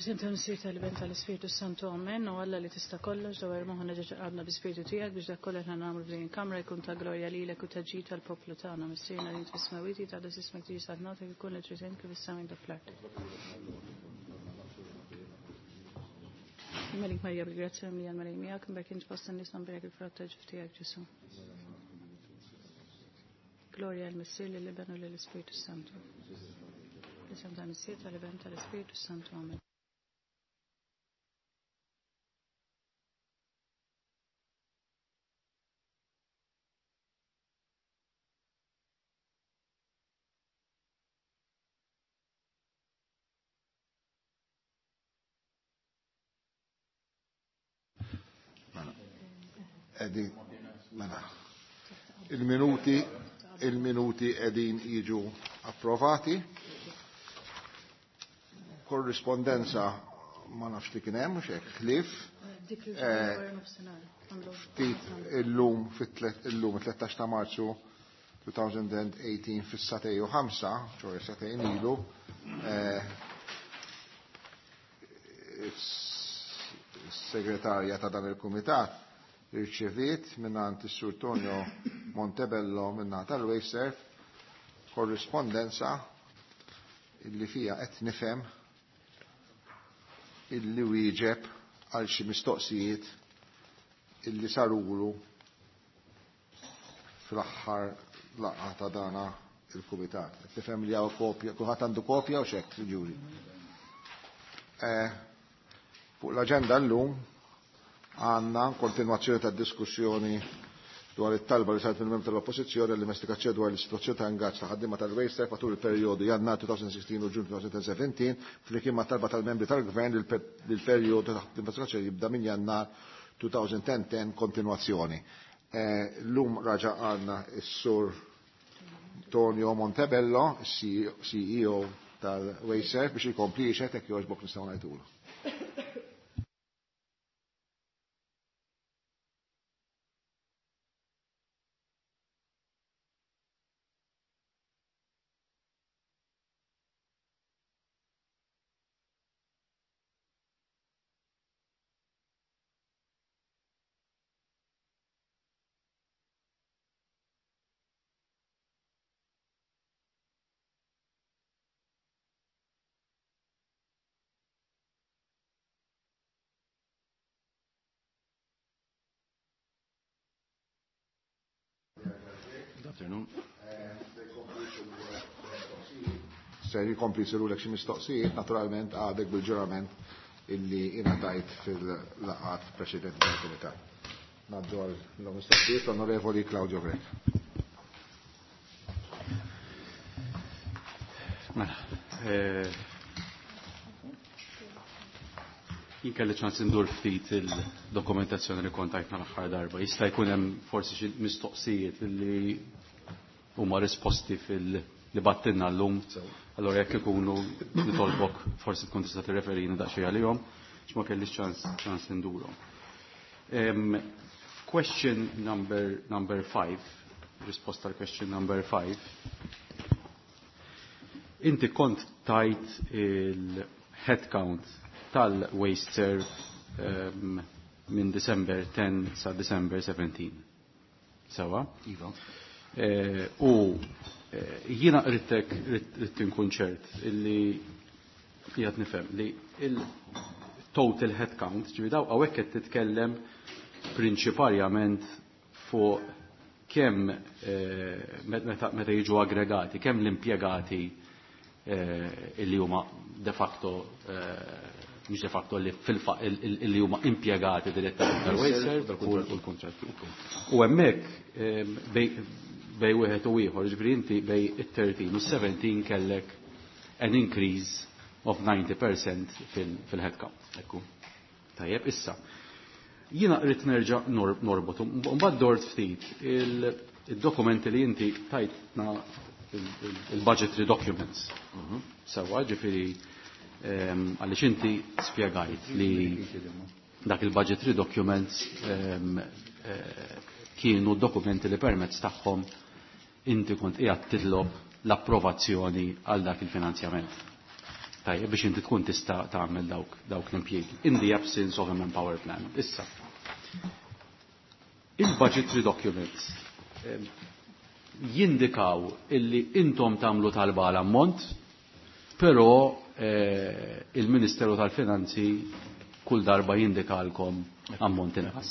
F'isem tal-Missier tal-Iben tal-Ispirtu Santu Amen u Alla li tista' kollox dawar moħħna ġeġa qalbna bi-Spirtu tiegħek biex dak kollu aħna nagħmlu f'din il-kamra jkun ta' glorja lilek u ta' ġid tal-poplu tagħna. Missierna li int fis-smewwiet jitqaddes ismek tiġi saltnatek ikun li trid int kif is-sema hekk fl-art. Melik Marija bil-grazzja mimlija l-Mulej miegħek, imbierek int fost in-nisa mbierek il-frott tal-ġuf tiegħek Ġesù. Glorja l-Missier lill-Iben u lill-Ispirtu Santu. Fl-isem tal-Missier tal-Iben tal-Ispirtu Santu. Amen. Mela. Edi, mela. Il-minuti, il-minuti edin jiġu approvati. Korrispondenza ma nafx li kien hemm mhux hekk ħlief. Ftit illum fit-illum 13 ta' Marzu 2018 fis-satej u 5, ċoħe satejn ilu, segretarja ta' dan il-kumitat irċeviet minnant is-Sur Tonio Montebello minnant tal-Wasteserv korrispondenza illi fija qed nifhem illi wieġeb għal xi mistoqsijiet illi sarulu fl-aħħar laqgħa ta' dana il-kumitat. Qed nifhem li hawn kopja, kulħadd għandu kopja u x'hekk, ġuri. Fuq l-aġenda llum għandna kontinwazzjoni ta' diskussjoni dwar it-talba li saret mill-membri tal-Oppożizzjoni għall-investigazzjoni dwar l-istituzzjoni ta' ingaġġ ta' ħaddiema tal-Wasteserv matul il-perjodu Jannar 2016 u Ġun 2017 flimkien ma' talba tal-membri tal-Gvern li l-perjodu ta' investigazzjoni jibda minn Jannar 2010 kontinwazzjoni. Llum raġa' għandna s-Sur Tonio Montebello, CEO tal-Wasteserv, biex jkompli jixhed hekk jogħġbok nistgħu ngħidulu. Good afternoon. Se jkompli jsirulek xi mistoqsijiet, naturalment għadek bil-ġurament illi ingħatajt fil-laqgħat preċedenti tal-Kumitat. Ngħaddu għal mistoqsijiet l-Onorevoli Claudio Grech. Mela, jien kelli ċans indur ftit il-dokumentazzjoni li kont tajtna l-aħħar darba. Jista' jkun hemm forsi xi mistoqsijiet li huma risposti fil-li battinna llum. Allora jekk ikunu nitolbok forsi tkun tista' tirreferini daqsxejn għalihom, għax ma kellix ċans indurhom. Question number 5, risposta għal question number 5. Inti kont tajt il-headcount tal-Wasteserv minn December 10 sa December 17. Sawa? Iva. U jiena ridt inkun ċert illi qiegħed nifhem li il-total headcount, ġifieri daw hawnhekk qed titkellem prinċiparjament fuq kemm meta jiġu aggregati, kemm l-impjegati illi huma de facto mhux de facto li illi huma impjegati direttament tal-Wasteserv u l-kontratti. U hemmhekk bej wieħed u ieħor, ġifieri inti bej it-13 u 17 kellek an increase of 90% fil-headcount. Ekku. Tajjeb, issa. Jiena rrid nerġa' norbot, mbagħad dort ftit il-dokumenti li inti tajtna il-budgetary documents. Sewa, ġifieri għaliex inti spjegajt li dak il-budgetary documents kienu dokumenti li permezz tagħhom inti kont qiegħed titlob l-approvazzjoni għal dak il-finanzjament. Tajjeb biex inti tkun tista' tagħmel dawk l-impjiegi. In the absence of a manpower plan. Issa. Il-budgetary documents jindikaw illi intom tagħmlu talba għal ammont, però il-Ministeru tal-Finanzi kull darba jindikalkom ammont inqas.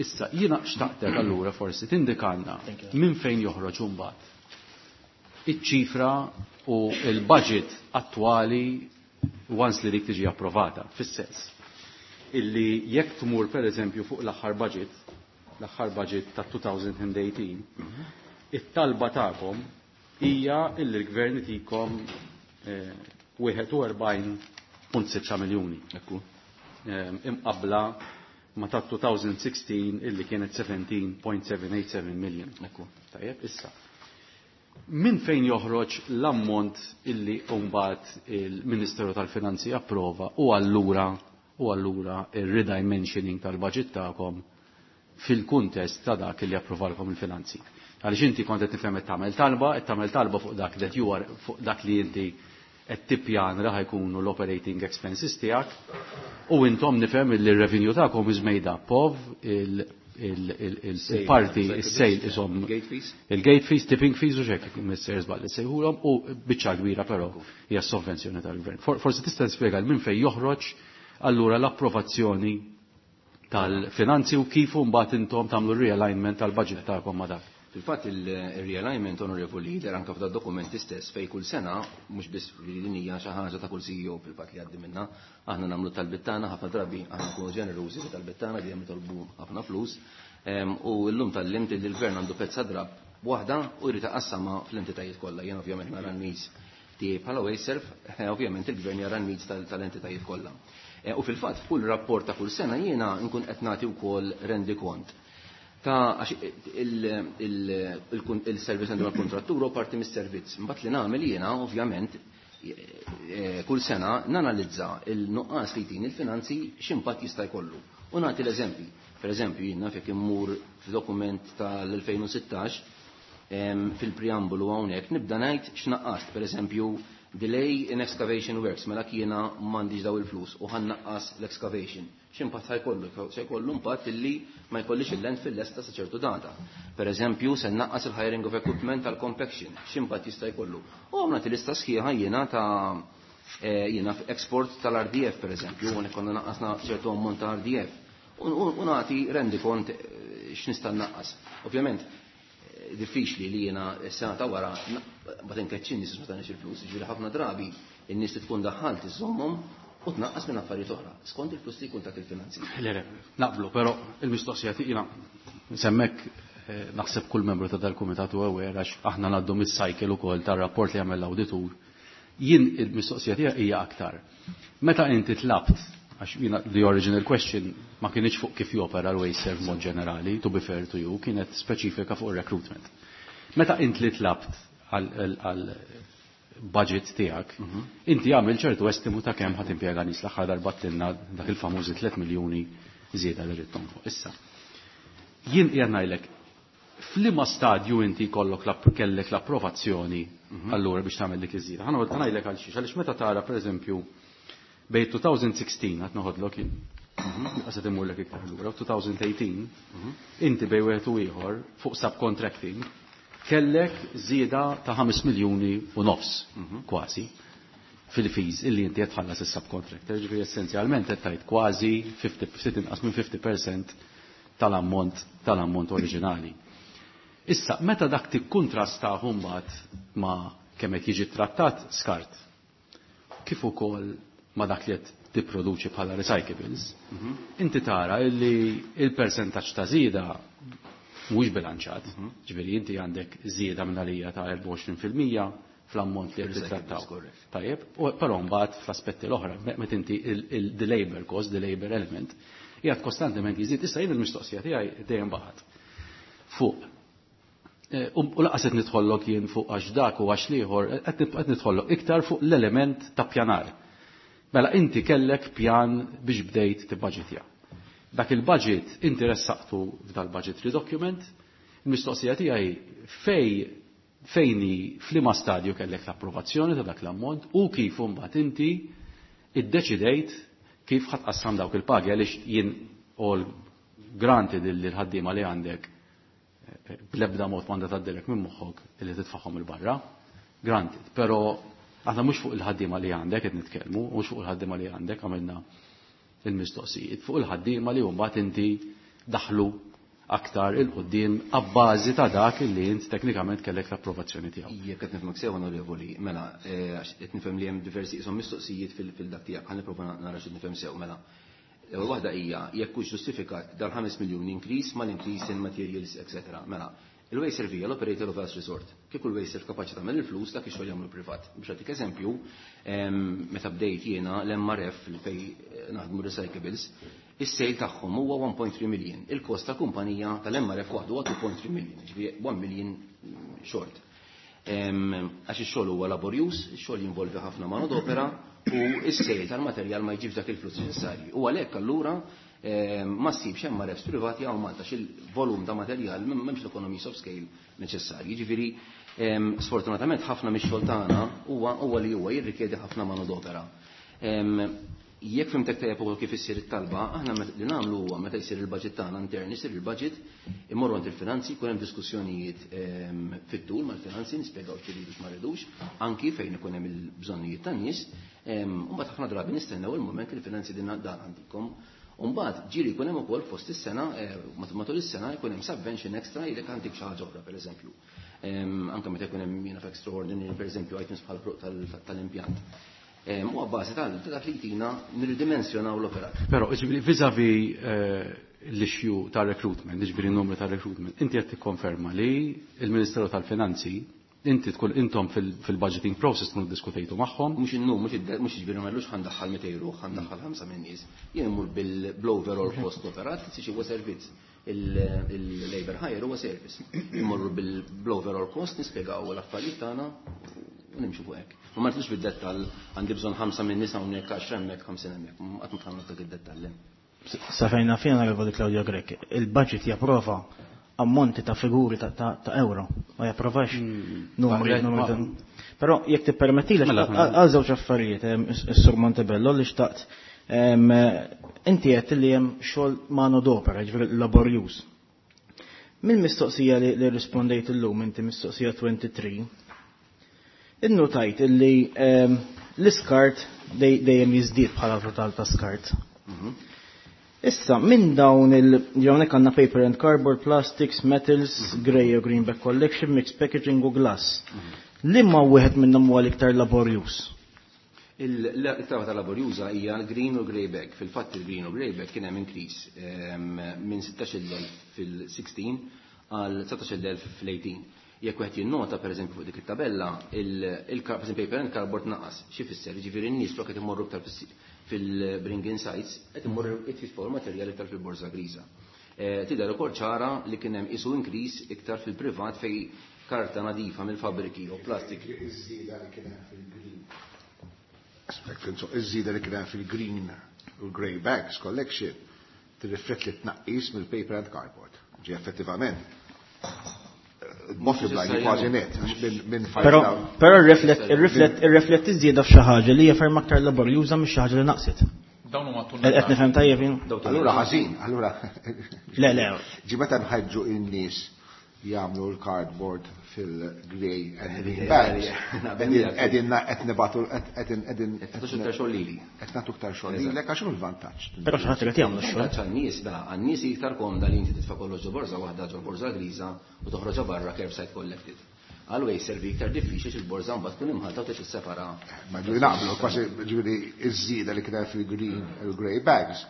Issa, jiena xtaqtek allura forsi tindikalna minn fejn joħroġ imbagħad iċ-ċifra u il-budget attwali once li dik tiġi approvata, fis-sens illi jekk tmur per eżempju fuq l-aħħar budget ta' 2018, it-talba tagħkom hija illi l-gvern itikom 41.6 miljuni. Imqabla ma ta' 2016 illi kienet 17.787 million. Tajjeb, issa. Min fejn joħroġ l-ammont illi mbagħad il-Ministeru tal-Finanzi approva u allura il-redimensioning tal-budget tagħkom fil-kuntest ta' dak li approvalkom il-finanzi? Għaliex inti kont qed nifhem qed tagħmel talba fuq dak that you are fuq dak li inti qed tippjan li ħa jkunu l-operating expenses tiegħek u intom nifhem li r-revenue tagħkom is made up of il-parti, il-sale isom il-gate fees, tipping fees u xek, Mr. Zballi sejħulhom u biċċa kbira però hija sovvenzjoni tal-gvern. Forsi tista' tispjega minn fejn joħroġ allura l-approvazzjoni tal-finanzi u kif mbagħad intom tagħmlu realignment tal-budget tagħkom ma' dak. Fil-fatt il-realignment, Honorable Leader, anka f'da dokumenti stess fej kull sena, mhux biss li din hija xi ħaġa ta' kull CEO fil-fatt li għaddi minna, aħna nagħmlu talbiet tagħna. Ħafna drabi aħna nkunu ġenerużi fi talbiet tagħna, dejjem nitolbu ħafna flus. U llum tgħallimt li l-gvern għandu pezza drapp waħda u jrid iqassama fl-entitajiet kollha. Jien ovvjament nara n-needs tiegħi bħala WasteServ, ovvjament il-gvern jara n-needs tal-entitajiet kollha. U fil-fatt f'kull rapport ta' kull sena jiena nkun qed nagħti wkoll rendikont ta' għax il-service għandu l-kontrattur u parti mis-servizz. Mbagħad li nagħmel jiena ovvjament kull sena nanalizza il-nuqqas li jtini il-finanzi x'impatt jista' jkollu. U nagħti l-eżempji. Per eżempju, jiena fejn immur f'dokument tal-2016 fil-preambolu hawnhekk nibda ngħid x'naqqast, per eżempju, delay in excavation works, mela kiena m'għandix daw il-flus u ħa nnaqqas l-excavation. X'impatt ħa jkollu? Se jkollu impatt illi ma jkollix il-landfill lesta sa ċertu data. Per eżempju, se naqqas il-hiring of equipment tal-compaction. X'impatt jista' jkollu? U għamna lista sħiħa jiena ta' jiena export tal-RDF, per eżempju, u konna naqqasna ċertu ammont ta' RDF. U nagħti rendikont x'nista' naqqas. Ovvjament, diffiċli li jiena s-sena ta' wara ma tinkeċċi nies ma tagħniex il-flus, ġifieri ħafna drabi in-nies li tkun daħħalt iżommhom u tnaqqas minn affarijiet oħra, skont il-flus li jkun tak il-finanzi. Le, naqblu, però il-mistoqsija tiegħi semmek naħseb kull membru ta' dal-kumitat u aware għax aħna ngħaddu mis-cycle ukoll tar-rapport li għamel l-awditur. Jien il-mistoqsija tiegħi hija aktar. Meta inti tlabt, għax jiena the original question ma kienx fuq kif jopera l-WasteServ mod ġenerali, to be fair to you, kienet speċifika fuq il-recruitment. Meta int li tlabt għal budget tiegħek, inti għamil ċertu estimu ta' kemm ħa timpjega nies. L-aħħar darba għedtilna dak il-famużi 3 miljuni żieda li rrid tonfoq. Issa. Jien qiegħed ngħidlek f'liema stadju inti kollok kellek l-approvazzjoni allura biex tagħmel dik iż-żieda. Ħa ngħidlek għal xiex, għaliex meta tara pereżempju bejn 2016, qed noħodlok jien, qed immurlek iktar lura, 2018, inti bejn wieħed u ieħor fuq subcontracting kellek żieda ta' 5 miljuni u nofs kważi fil-fees illi inti qed tħallas is-subcontractor, ġifieri essenzjalment qed tgħid kważi 50, ftit inqas minn 50% tal-ammont oriġinali. Issa, meta dak tikkuntrasta mbagħad ma' kemm qed jiġi trattat skart, kif ukoll ma' dak li qed tipproduċi bħala recyclables, inti tara illi il-percentaġġ ta' żieda mhuwiex bilanċat. Ġifieri inti għandek żieda minn għalija ta' 24% fl-ammont li qed titrattaw. Tajjeb, u però mbagħad fl-aspetti l-oħra, meta inti the labor cost, the labor element, qiegħed kostantement jiżdied. Issa jien il-mistoqsija tiegħi dejjem baqgħet fuq u lanqas qed nidħollok jien fuq għax dak u għax l-ieħor, qed nidħollok iktar fuq l-element ta' pjanar. Mela inti kellek pjan biex bdejt tibbaġitja. Dak il-budget inti ressaqtu f'dal budgetary document, il-mistoqsija tiegħi fej Fejn hi, f'liema stadju kellek l-approvazzjoni ta' dak l-ammont u kif imbagħad inti iddeċidejt kif ħa tqassam dawk il-pagi, għaliex jien all granted li l-ħaddiema li għandek bl-ebda mod m'għandha tgħaddilek minn moħħok illi titfagħhom 'il barra, granted, però aħna mhux fuq il-ħaddiema li għandek qed nitkellmu, mhux fuq il-ħaddiema li għandek għamilna il-mistoqsijiet, fuq il-ħaddiema li mbagħad inti daħlu aktar 'il quddiem abbażi ta' dak li int teknikament kellek l-approvazzjoni tiegħu. Jekk qed nifhmek sew, onorevoli, mela, għax qed nifhem li hemm diversi qishom mistoqsijiet fil-dak tiegħek, ħa nipprova nara x'qed nifhem sew, mela. L-ewwel waħda hija jekk hux ġustifikat dal-5 miljun increase mal-increase in materials, etc. Mela, il-Wasteserv hija l-operator of last resort. Kieku l-Wasteserv kapaċi tagħmel il-flus, dak ix-xogħol jagħmlu privat. Biex nagħtik eżempju, meta bdejt jiena l-MRF li fej naħdmu recyclables, is-sale tagħhom huwa 1.3 million. Il-kost ta' kumpanija tal-MRF waħdu huwa 2.3 million, ġifieri 1 million short. Għax ix-xogħol huwa laborjuż, ix-xogħol jinvolvi ħafna manodopera u s-sale tal-materjal ma jġibx dak il-flus neċessarji. U għalhekk allura ma ssibx MRFs privati hawn Malta x'il-volum ta' materjal m'hemmx l-economies of scale neċessarji. Ġifieri sfortunatament ħafna mix-xogħol tagħna huwa li huwa jirrikjedi ħafna manodopera. Jekk fhimtek tajjeb ukoll kif issir it-talba, aħna li nagħmlu huwa meta jsir il-budget tagħna intern, isir il-budget, immorru għand il-finanzi, jkun hemm diskussjonijiet fit-tul mal-finanzi, nispjegaw x'iridu x'ma rridux, anki fejn ikun hemm il-bżonnijiet tan-nies, u mbagħad ħafna drabi nistennew il-mument li l-finanzi din dan għandikom. U mbagħad ġieli jkun hemm ukoll fost is-sena, matul is-sena jkun hemm subvention extra jekk għandek xi ħaġa oħra, pereżempju. Anke meta jkun hemm jiena extraordinary, pereżempju, items bħal tal-impjant. U għabbażi tal dak li jtina nirridimensjonaw l-operat. Però, ġifieri, vis-a-vis l-issue ta' recruitment, ġifieri n-numru ta' recruitment, inti qed tikkonferma li il-Ministeru tal-Finanzi, inti tkun intom fil-budgeting process tkunu diskutejtu magħhom. Mhux innum, mhux ġifieri ma llux ħa ndaħħal 200 ruħ, ħa ndaħħal 5 minn nies. Jien immur bil-overall cost operat, li huwa servizz. Il-labor hire huwa service. Immorru bil-overall cost, nispjegaw l-affarijiet tagħna u nimxu fuq hekk. Ma ntlux bid-dettall għandi bżonn 5 minn nisa hawnhekk, 10 hemmhekk, 50 hemmhekk. Qatt ma tħallna dak id-dettall. Sa fejna fjena Onorevoli Claudio Grech, il-budget japprova ammonti ta' figuri ta' euro, ma japprovax numri. Numri. Però jekk tippermetti Mela, għal żewġ affarijiet, is-Sur Montebello li xtaqt. Inti qed li hemm xogħol mano d'opera, ġifieri laborjuż. Mill-mistoqsija li rispondejt illum, inti mistoqsija 23, innotajt illi l-iskart dejjem jiżdied bħala total ta' skart. Issa, minn dawn il-ġawnek għanna paper and cardboard, plastics, metals, grey u green bag collection, mixed packaging u glass. Liema wieħed minnhom huwa l-iktar laborjuż? L-iktar waħda laborjuża hija l-green u grey bag. Fil-fatt il-green u grey bag kien hemm increase minn 16,000 fil-16 għal 19,000 fil-18. Jekk wieħed jinnota pereżempju fuq dik it-tabella, il-paper and cardboard naqas. Xi fisser? Ġifieri n-nies flok qed imorru iktar fil-bring-in sites, qed imorru jitfisfu l-materjal iktar fil-borża griża. Tidher ukoll ċara li kien hemm isu increase iktar fil-privat fej karta nadifa mill-fabriki u plastik. Iż-żieda li kien hemm fil-green. Aspett, iż-żieda li kien hemm fil-green u grey bags collection tirrifletti tnaqqis mill-paper and cardboard. Ġi effettivament multiply kważi net minn Però però irriflett iż-żieda f'xi ħaġa li hija ferm aktar laborjuża mhix xi ħaġa li naqset. Dawn huma Qed nifhem tajjeb jien? Allura ħażin, allura. Le, le. Ġi meta nħeġġu in-nies jagħmlu l-cardboard fil-grey and green bags. Qegħdin qed nibatu qegħdin Qed iktar xogħol lili. Qed nagħtu iktar xogħol lilek għax l-vantaġġ. Però xi ħadd irid jagħmlu x-xogħol. Vantaġġ għan-nies, mela, għan-nies iktar komda li inti titfa' kollox ġo borża waħda, ġo borża griża u toħroġha barra curbside collected. Għal servi iktar diffiċli x'il-borża mbagħad tkun imħalta u tissepara. Ma ġifieri naqblu kważi ġifieri iż-żieda li kien hemm fil-green u grey bags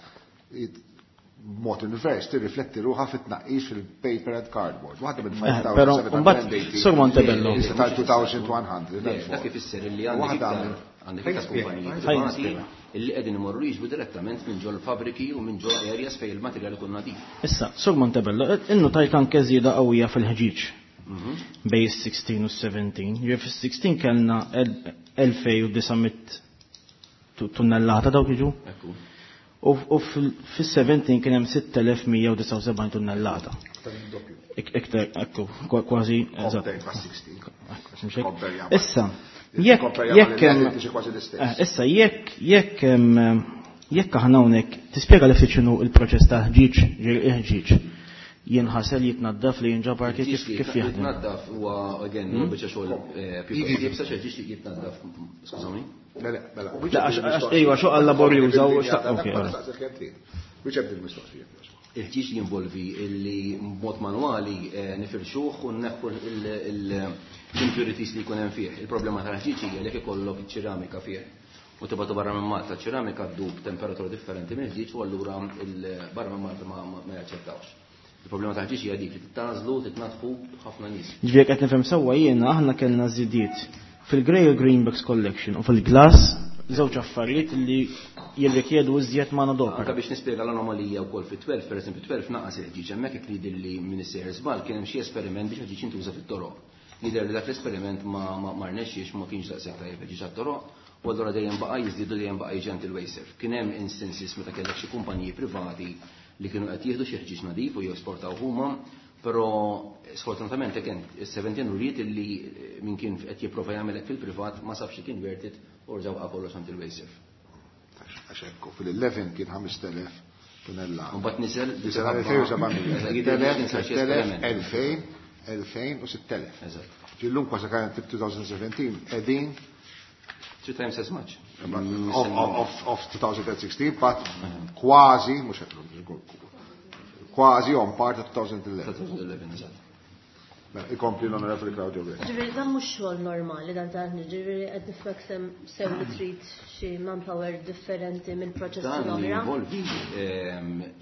mod invers tirrifletti ruħha fit-tnaqqis fil-paper and cardboard. Waħda minn 5780. Sur Montebello. Tal-2100. Dak ifisser li għandek iktar kumpaniji privati illi qegħdin imorru jiġbu direttament minn ġol fabriki u minn ġol areas fejn il-materjal ikun nadif. Issa, Sur Montebello, innotajt anke żieda qawwija fil-ħġiġ bej 16 u 17. Ġifieri fis-16 kellna 2900 tunnellata dawk jiġu. U fis-17 kien hemm 6179 tunnellata. Iktar, ekku, kważi. Issa, jekk issa jekk jekk jekk aħna hawnhekk tispjega li ftit x'inhu il-proċess ta' ħġieġ, ħġieġ jinħasel jitnaddaf li jinġabar kif kif jaħdem. Jitnaddaf huwa again huwa biċċa xogħol pjuttost iebsa xi ħġieġ jitnaddaf. Skużawni. Le, le, mela. Ejwa, xogħol laborjuża u xtaq. Wieġeb din il-mistoqsija. Il-ħġieġ jinvolvi illi b'mod manwali nifirxuh u nneħħu l-impurities li jkun hemm fih. Il-problema tal-ħġieġ hija li jekk ikollok ċeramika fih u tibgħatu barra minn Malta, ċeramika ddub temperatura differenti mill-ħġieġ u allura barra minn Malta ma jaċċettawx. Il-problema tal-ħġieġ hija dik li titgħażlu, titnaddfu ħafna nies. Ġifieri qed nifhem sewwa jiena aħna kellna żidiet fil-Grey Greenbacks Collection u fil-Glass żewġ affarijiet li jirrikjedu iżjed manodopera. Anka biex nispjega l-anomalija wkoll fit-12, pereżempju 12 naqas il-ħġieġ hemmhekk jekk jidher li min sejjer żball kien hemm xi esperiment biex il-ħġieġ jintuża fit-toroq. Jidher li dak l-esperiment ma rnexxiex, ma kienx daqshekk tajjeb il-ħġieġ għat-toroq, u allura dejjem baqa' jiżdiedu dejjem baqa' jiġi għand il-Wasteserv. Kien hemm instances meta kellek xi kumpaniji privati li kienu qed jieħdu xi ħġieġ nadif u jesportaw huma, però sfortunatament again is-17 uriet illi min kien qed jipprova jagħmel hekk fil-privat ma sabx li kien worth it u rġgħu baqa' kollox għand il-Wasteserv. Għax hekk fil-11 kien 5000 tunella. Mbagħad niżel Niżel għal 2700. Jidher li kien sar xi esperiment. 2000, 2000 u 6000. Eżatt. Ġillum kważi kien 2017 qegħdin 3 times as much. Of 2016, but kważi, mhux qed kważi on par ta' 2011. 2011, eżatt. Mela, ikompli l-Onorevoli Claudio Grech. Ġifieri dan mhux xogħol normali dan ta' ġifieri qed nifhmek sew li trid xi manpower differenti minn proċessi Dan l-oħra. jinvolvi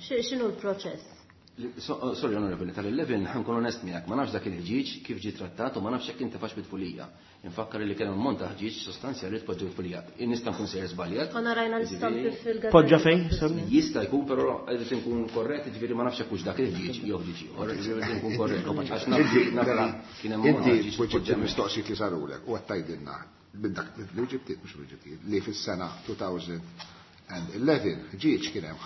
X'inhu l-proċess? Sorry, Onorevoli, tal-11 ħa nkun onest miegħek, ma nafx dak il-ħġieġ kif ġie trattat u ma nafx jekk inti fax bitfulija. Infakkar li kien hemm ammont ta' ħġieġ sostanzjali li tpoġġew bitfulija. Nista' nkun sejjer żbaljat. Konna rajna l-istampi fil-gazzetta. Poġġa fejn, sorry? Jista' jkun, però qed inkun korrett, ġifieri ma nafx jekk hux dak il-ħġieġ jew ħġieġ ieħor, ġifieri qed inkun korrett. Għax naf li naf li kien hemm ammont ta' Inti ħġieġ weġibt tpoġġa hemmhekk. il-mistoqsijiet li sarulek u qed tgħidilna minn dak li ġibtiet mhux ġibtiet li fis-sena 2011 ħġieġ kien hemm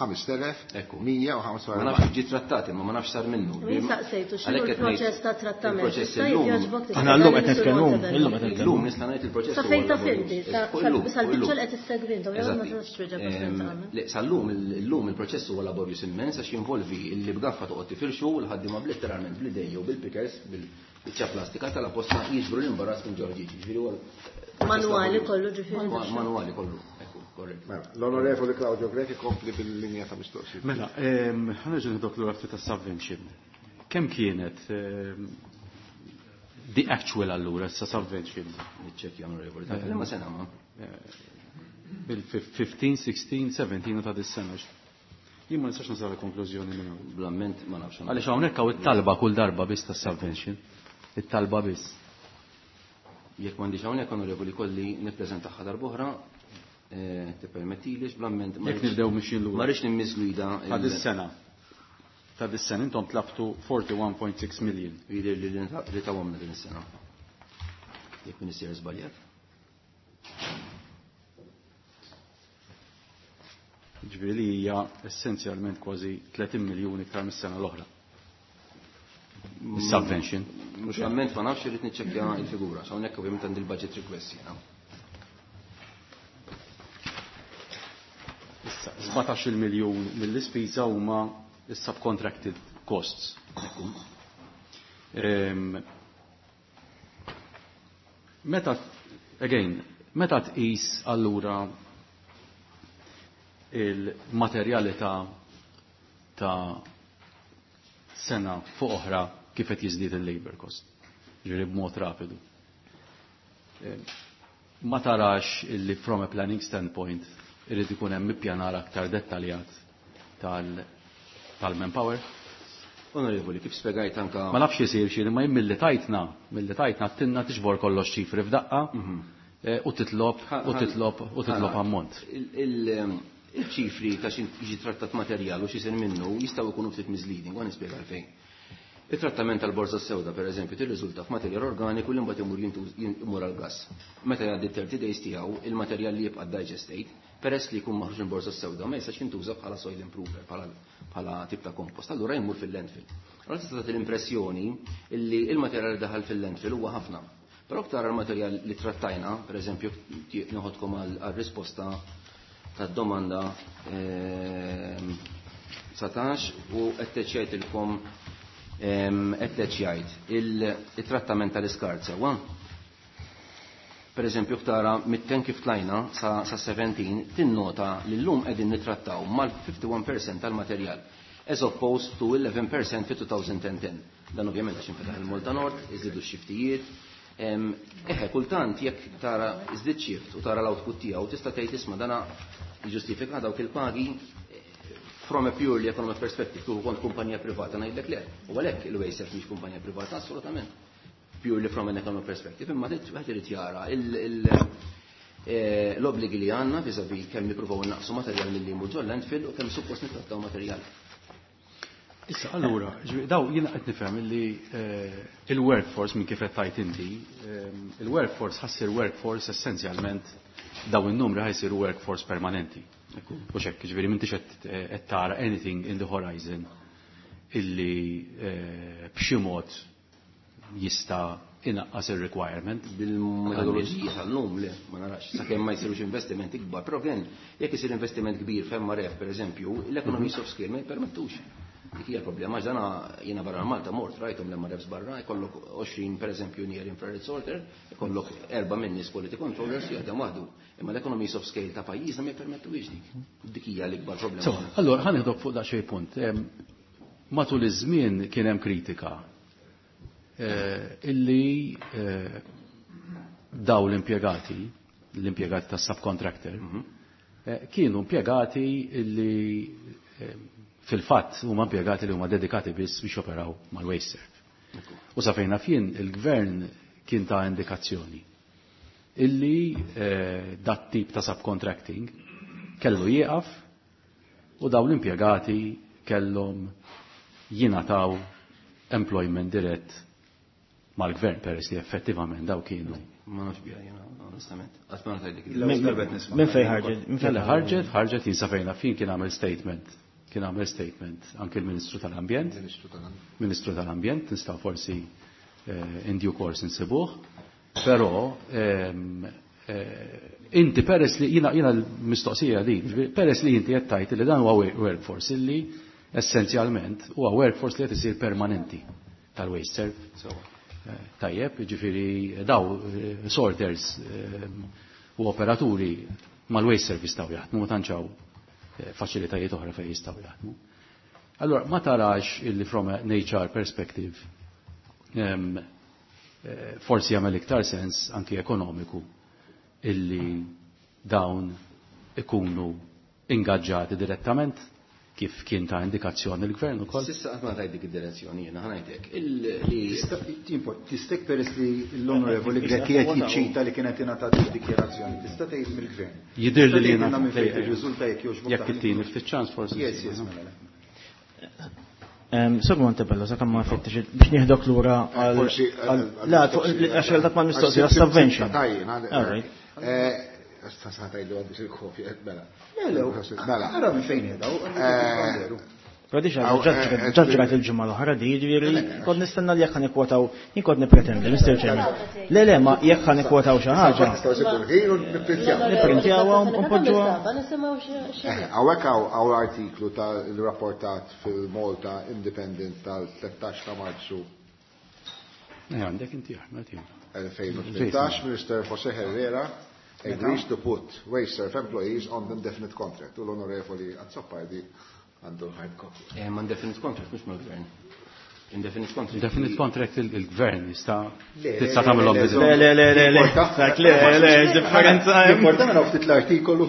Ekku. 5145. Ma nafx ġie trattat imma ma nafx sar minnu. Min saqsejtu x'inhu Għalhekk qed ngħid, l-proċess ta' trattament? il-proċess Issa illum- jogħġbok Aħna llum qed tispjega nitkellmu, lil illum qed nitkellmu. Illum nista' ngħid il-proċess Sa huwa fejn taf laborjuż. inti, Fuq illum, fuq sal-biċċa illum. li qed issegwi intom, jew ma Eżatti. tistax twieġeb għax tagħmel. Le, sal-lum, illum il-proċess huwa laborjuż immens għax jinvolvi li b'gaffa toqgħod tifirxu u l-ħaddiema literalment bl-idej jew bil-pickers bil-biċċa plastika tal-apposta jiġbru l-imbarazz minn ġo ħġieġ. Ġifieri huwa Manwali kollu ġifieri. Manwali kollu, ekku, korrett. Mela, l-Onorevoli Claudio Grech ikompli bil-linja ta' mistoqsijiet. Mela, ħa nerġa' nidok lura ftit tas-subvention. Kemm kienet the actual allura sa subvention? Niċċekkja, Onorevoli. Ta' liema sena ma? Bil-15, 16, 17 ta' dis-sena. Jien ma nistax nasal konklużjoni minn hawn. Bl-amment ma nafx. Għaliex hawnhekk hawn it-talba kull darba biss tas-subvention. It-talba biss. Jekk m'għandix hawnhekk, Onorevoli, kolli nippreżentaha darb'oħra, tippermettilix bl-amment ma Jekk rridx- nibdew mixjin lura. Ma rridx nimmisgwida Ta' dis-sena. Ta' dis-sena intom tlabtu 41.6 million. Jidher li li tawhomna din is-sena. Jekk min isir żbaljat. Ġifieri li hija essenzjalment kważi 30 miljun iktar mis-sena l-oħra. Is-subvention. Mhux amment ma nafx irid niċċekkja l-figura, so hawnhekk ovvjament għandi l-budget request jiena. Issa 17 miljun mill-ispiża huma is-subcontracted costs. Meta, again, meta tqis allura il-materjalità ta' sena fuq oħra kif qed jiżdied il-labor cost, ġifieri b'mod rapidu. Ma tarax illi from a planning standpoint irid ikun hemm ippjanar aktar dettaljat tal-manpower? Onorevoli, kif spjegajt anka Ma nafx isir xi, imma jien milli tajtna tinna tiġbor kollox ċifri f'daqqa, u titlob, u titlob, u titlob ammont. Il-ċifri ta' xi jiġi trattat materjal u x'isir minnu jistgħu jkunu ftit misleading, u nispjega għalfejn. Il-trattament tal-borza sewda, per eżempju, tirriżulta f'materjal organiku li mbagħad imur imur għall-gas. Meta jgħaddi 30 days tiegħu, il-materjal li jibqa' digestate, peress li jkun maħruġ minn borza sewda, ma jistax jintuża bħala soil improver, bħala tip ta' kompost, allura jmur fil-landfill. Allura tista' tagħti l-impressjoni li il-materjal li daħal fil-landfill huwa ħafna. Però aktar għal-materjal li trattajna, per eżempju, noħodkom għal-risposta tad-domanda 19 u qed jgħidilkom qed jgħid il-trattament tal-iskart sewwa. Per eżempju, tara mit-10 kif tlajna sa 17 tinnota li llum qegħdin nittrattaw mal-51% tal-materjal as opposed to 11% fi 2010. Dan ovvjament għax infetaħ il-Malta Nord, iżidu x-xiftijiet. Eħe, kultant jekk tara iżdid shift u tara l-output tiegħu tista' tgħid isma' dana ġustifika dawk il-pagi from a purely economic perspective, kieku kont kumpanija privata ngħidlek le. U għalhekk il-WasteServ mhix kumpanija privata assolutament. Purely from an economic perspective, imma wieħed irid jara l-obbligi li għandna vis-a-vis kemm nippruvaw naqsu materjal milli jmur ġol landfill u kemm suppost nittrattaw materjal. Issa, allura, daw jiena qed nifhem li il-workforce minn kif qed tajt inti, il-workforce ħa ssir workforce essenzjalment daw in-numri ħa jsiru workforce permanenti. U xek, ġifieri m'intix qed tara anything in the horizon illi b'xi mod jista' inaqqas il-requirement. Bil-metodoloġija tal-lum le, ma narax, sakemm ma jsirux investimenti kbar, però kien jekk isir investiment kbir f'MRF per eżempju, l-economies of scale ma jippermettux. Dik hija l-problema, għax dana jiena barra Malta mort rajthom l-MRFs barra, jkollok 20 per eżempju near infrared sorter, jkollok erba' minn nies quality controllers jaħdem waħdu. Imma l-economies of scale ta' pajjiżna ma jippermettux dik. Dik hija l-ikbar problema. So, allora ħa nieħdok fuq daqsxejn punt. Matul iż-żmien kien hemm kritika illi daw l-impjegati, l-impjegati tas subcontractor, kienu impjegati illi fil-fatt huma impjegati li huma dedikati biss biex operaw mal-WasteServ. U sa fejn naf jien il-gvern kien ta' indikazzjoni illi dat tip ta' subcontracting kellu jieqaf u daw l-impjegati kellhom jingħataw employment dirett mal-gvern peress li effettivament daw kienu. Ma nafx biha jiena, onestament. Qatt ma ngħidlek. Minn fejn ħarġet? Minn fejn ħarġet? Ħarġet jien sa fejn naf jien kien għamel statement. Kien għamel statement anke l-Ministru tal-Ambjent. Ministru tal-Ambjent, nistgħu forsi in due course insibuh. Però inti peress li jiena l-mistoqsija din, peress li inti qed tgħid li dan huwa workforce illi essenzjalment huwa workforce li qed isir permanenti tal-WasteServ. Tajjeb, ġifieri daw sorters u operaturi mal-WasteServ jistgħu jaħdmu, ma tantx hawn faċilitajiet oħra fejn jistgħu jaħdmu. Allora, ma tarax illi from an HR perspective forsi jagħmel iktar sens anki ekonomiku illi dawn ikunu ingaġġati direttament kif kien ta' indikazzjoni l-gvern ukoll. S'issa qatt ma tajt dik id-direzzjoni jiena ħa ngħidlek. Tistek peress li l-Onorevoli Grech qed jiċċita li kienet ingħatat id-dikjarazzjoni, tista' tgħid mill-gvern. Jidher li jiena minn fejn irriżulta jekk jogħġbok. Jekk ittini ftit ċans forsi. Yes, yes, mela. Sur Montebello, sakemm ma fettix biex nieħdok lura għal. La, għax dak ma mistoqsija subvention. All right. Sta tgħidlu għandix il-kopja, mela. Mela, ara minn fejn qiegħda. Però diġà ġaġrat il-ġimgħa l-oħra di, jiġifieri kont nistenna li jekk ħa nikkwotaw, jien kont nippretendi, Mr. Chairman. Le, le, ma jekk ħa nikwotaw xi ħaġa. Nipprintjawha u npoġġuha. Hawnhekk hawn artiklu tal-rapportat fil-Malta Independent tal-13 ta' Marzu. Għandek inti Ahmed. 2018, Minister Jose Herrera agrees to put WasteServ employees on the indefinite contract. U l-Onorevoli Azzopardi għandu hard copy. Ma indefinite contract, mhux mal-gvern. Indefinite contract. Indefinite contract il-gvern jista' tista' tagħmelhom biżgħu. Le, le, le, le, le. Dak le, le, differenza. Importa naraw ftit l-artikolu.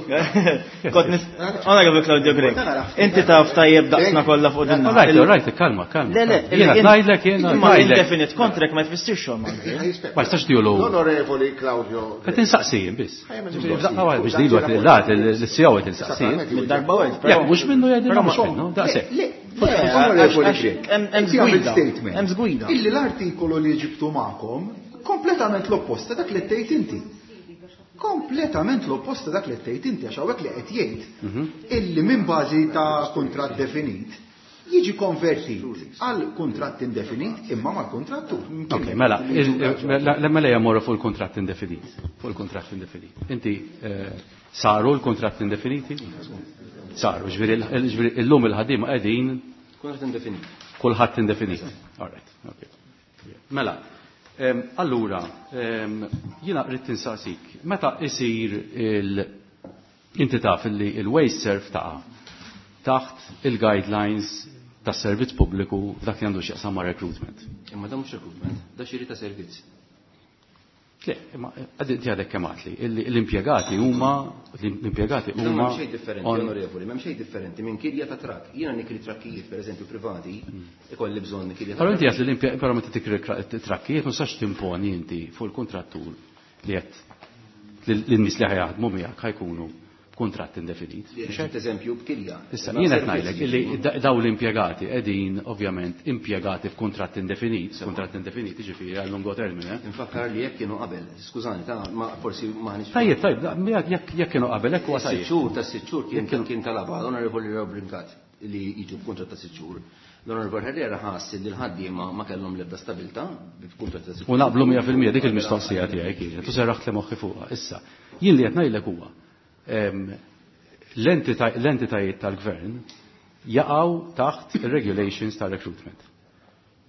Kont nis Onorevoli Claudio Grech. Inti taf tajjeb daqsna kollha fuq din. Right, right, kalma, kalma. Le, le, Jiena ngħidlek, jiena imma ngħidlek. Indefinite contract ma jfissirx xogħol mal-gvern. Ma jistax tiegħu. L-Onorevoli Claudio Qed insaqsijin biss. Daqqa waħda biex dilu qed lat il-CEO qed insaqsijin. Mid-darba wieħed, Jekk mhux minnu jgħidilna mhux minnu, daqshekk. Le, Onorevoli Grech. Hemm żgwida. Hemm żgwida. Illi l-artikolu li ġibtu magħkom kompletament l-oppost ta' dak li tgħid inti. Kompletament l-oppost ta' dak li tgħid inti għax hawnhekk li qed jgħid illi minn bażi ta' kuntratt definit Jiġi konvertit għal kuntratt indefinit imma mal-kontrattur. Ok, mela, mela jmorru fuq il-kuntratt indefinit. Fuq il-kuntratt indefinit. Inti saru l-kuntratt indefiniti? Saru, ġifieri illum il-ħaddiema qegħdin Kuntratt indefinit. Kulħadd indefinit. All right, ok. Mela, allura, jiena rrid insaqsik, meta isir il- inti taf li il-WasteServ taqa' taħt il-guidelines tas servizz pubbliku f'dak li għandu x'jaqsam ma' recruitment. Imma da mhux recruitment, da xiri ta' servizz. Le, imma inti għadek kemm għedtli, l-impjegati huma l-impjegati Dan huma m'hemm xejn differenti, onorevoli, m'hemm xejn differenti minn kirja ta' trakk. Jiena nikri trakkijiet, pereżempju privati, ikolli bżonn kirja ta' Però inti għedt li però meta tikri trakkijiet ma tistax timponi inti fuq il-kontrattur li qed lin-nies li ħa jaħdmu miegħek ħa jkunu b'kuntratt indefinit. Mhux eżempju b'kirja. Issa jien qed ngħidlek illi dawn l-impjegati qegħdin ovvjament impjegati f'kuntratt indefinit, kuntratt indefinit jiġifieri għal lungo termine. Infakkar li jekk kienu qabel, skużani, ta' ma forsi ma ħanix. Tajjeb, tajjeb, jekk kienu qabel hekk huwa tajjeb. 6 xhur ta' 6 xhur kien talaba l-Onorevoli Brincat li jiġu b'kuntratt ta' 6 xhur. L-Onorevoli Herrera ħass li l-ħaddiema ma kellhom l-ebda stabilità b'kuntratt ta' 6 xhur. U naqblu 100% dik il-mistoqsija tiegħi kienet, u serraħt li moħħi fuqha. Issa, jien li qed ngħidlek huwa l-entitajiet tal-gvern jaqgħu taħt il-regulations tal-recruitment.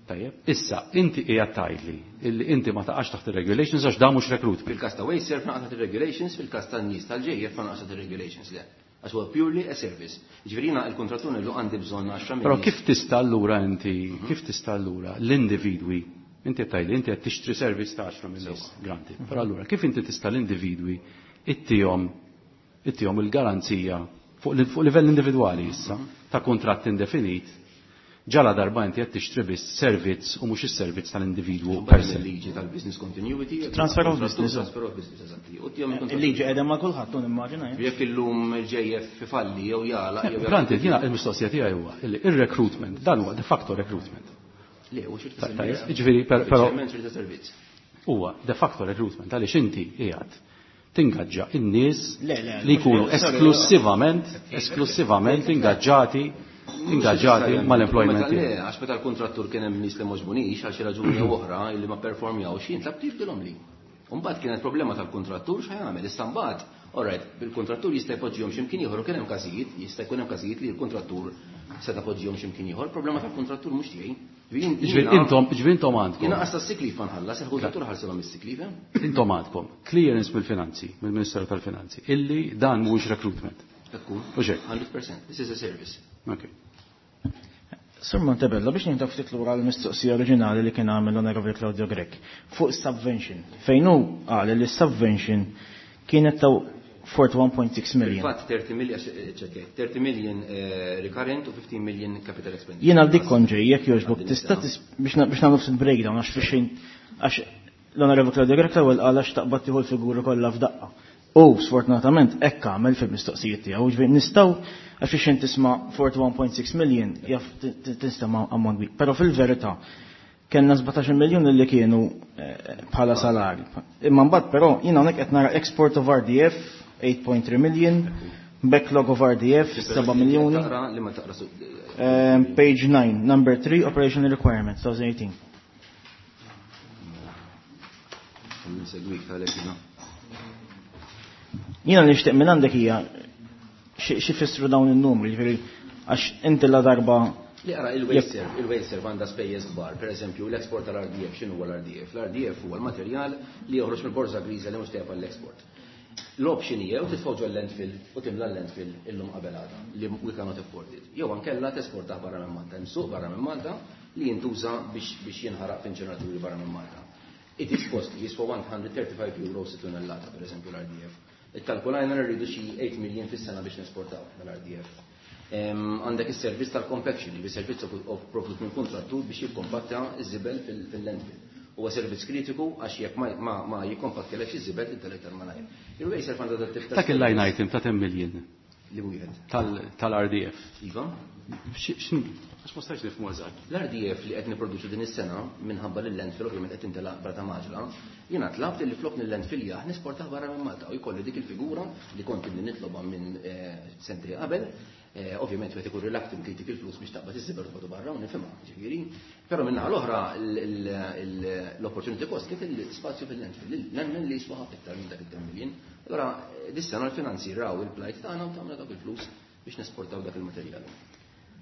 Tajjeb, issa, inti qiegħed tgħidli illi inti ma taqax taħt il-regulations għax da mhux recruitment. Fil-każ ta' WasteServ naqa' taħt il-regulations, fil-każ tan-nies tal-JF ma naqax taħt il-regulations le. Għax huwa purely a service. Ġifieri jiena il-kontrattur ngħidlu għandi bżonn 10 Però kif tista' allura inti, kif tista' allura l-individwi, inti qed tgħidli inti qed tixtri service ta' 10 min nies, granted. Però allura kif inti tista' l-individwi ittihom il-garanzija fuq livell individwali issa ta' kuntratt indefinit, ġala darba inti qed tixtri biss servizz u mhux is-servizz tal-individwu per se. Il-liġi tal-business continuity. Transfer of business. Transfer of business, eżatti. U tihom il-kontrattur. Il-liġi qiegħda ma' kulħadd, tu nimmaġina, eh? Jekk illum il-JF ifalli jew jagħlaq jew Granted, jiena il-mistoqsija tiegħi huwa li ir-recruitment, dan huwa de facto recruitment. Le, u xi Tajjeb, jiġifieri però Ċerment xi servizz. Huwa de facto recruitment għaliex inti qiegħed tingaġġa in-nies Le, le, li jkunu mhux sorry, esklusivament ingaġġati mal-employment Meta le, tiegħek. għax meta l-kontrattur kien hemm nies li m'għoġbunix għal xi raġuni jew oħra li ma performjawx, jien tlabt jibdilhom li. U mbagħad kienet problema tal-kontrattur x'ħa jagħmel. Issa mbagħad, all right, bil-kontrattur jista' jpoġġihom x'imkien ieħor u kien hemm każijiet, jista' jkun hemm każijiet li l-kontrattur seta' poġġihom x'imkien ieħor, problema tal-kontrattur mhux tiegħi. Ġifieri intom, ġifieri intom għandkom. Jiena qas tas-sick leave ma nħallas, il-kontrattur ħarsilhom is-sick leave, eh? Intom għandkom clearance mill-finanzi, mill-Ministeru tal-Finanzi, illi dan mhuwiex recruitment. Ekku. U xejn. 100%. This is a service. Okay. Sur Montebello, biex nieħdu ftit lura l-mistoqsija oriġinali li kien għamel l-Onorevoli Claudio Grech fuq subvention. Fejn hu qal li subvention kienet ta' 41.6 million. Fil-fatt 30 million, ċekk, 30 million recurrent u 15 million capital expenditure. Jiena għal dik kont ġej, jekk jogħġbok, tista' biex nagħmlu ftit breakdown għax fix għax l-Onorevoli Claudio Grech l-ewwel qal għax taqbad tieħu l-figuri kollha f'daqqa. U sfortunatament hekk għamel fil-mistoqsijiet tiegħu, ġifieri nistgħu għax fix tisma' 41.6 million jaf tinstema' ammont kbir. Però fil-verità kellna 17 miljun li kienu bħala salari. Imma mbagħad però jiena hawnhekk qed nara export of RDF 8.3 million, backlog of RDF 7 miljuni. Taqra li ma taqra su- Page 9, number 3, operational requirements, 2018. Nsegwik tal-hekk jiena. Jiena li nixtieq minn għandek hija xi fissru dawn in-numri, jiġifieri għax inti la darba Li ara il-WasteServ, il-WasteServ għandha spejjeż kbar, per eżempju l-export tal-RDF, x'inhu huwa l-RDF? L-RDF huwa l-materjal li joħroġ mill-borża griża li mhux tajjeb għall-export. L-option hija jew titfgħu ġol landfill u timla l-landfill illum qabel għada li we cannot afford it. Jew ankella tesportah barra minn Malta, hemm suq barra minn Malta li jintuża biex jinħaraq f'inċeneraturi barra minn Malta. It is costly, jiswa 135 euro si tunnellata, per eżempju l-RDF. Ikkalkulajna rridu xi 8 million fis-sena biex nesportaw l-RDF. Għandek is-servizz tal-compaction, li servizz of provdut minn kontrattur biex jikkompatta iż-żibel fil-landfill. Huwa servizz kritiku għax jekk ma jikkompattilekx iż-żibel tintelek tal-malajr. Il-WasteServ għandha dat tip ta' Dak il-line item ta' 10 million. Li wieħed. Tal-RDF. Iva. Għax ma stajtx nifhmu eżatt. L-RDF li qed nipproduċu din is-sena minħabba li l-landfill ovvjament qed tintelaq brata maġla, jiena tlabt li flok nil-landfill jah nesportah barra minn Malta u jkolli dik il-figura li kont inni nitlobha minn sentej qabel. Ovvjament wieħed ikun reluctant li jtik il-flus biex taqbad iż-żibel u barra u nifhimha, ġifieri. Però minn l-oħra l-opportunity cost kif l-spazju fil-landfill, nemmen li jiswa ħafna iktar minn dak il-10 million. Allora dis-sena l-finanzi raw il-plight tagħna u tagħmlu dak il-flus biex nesportaw dak il-materjal.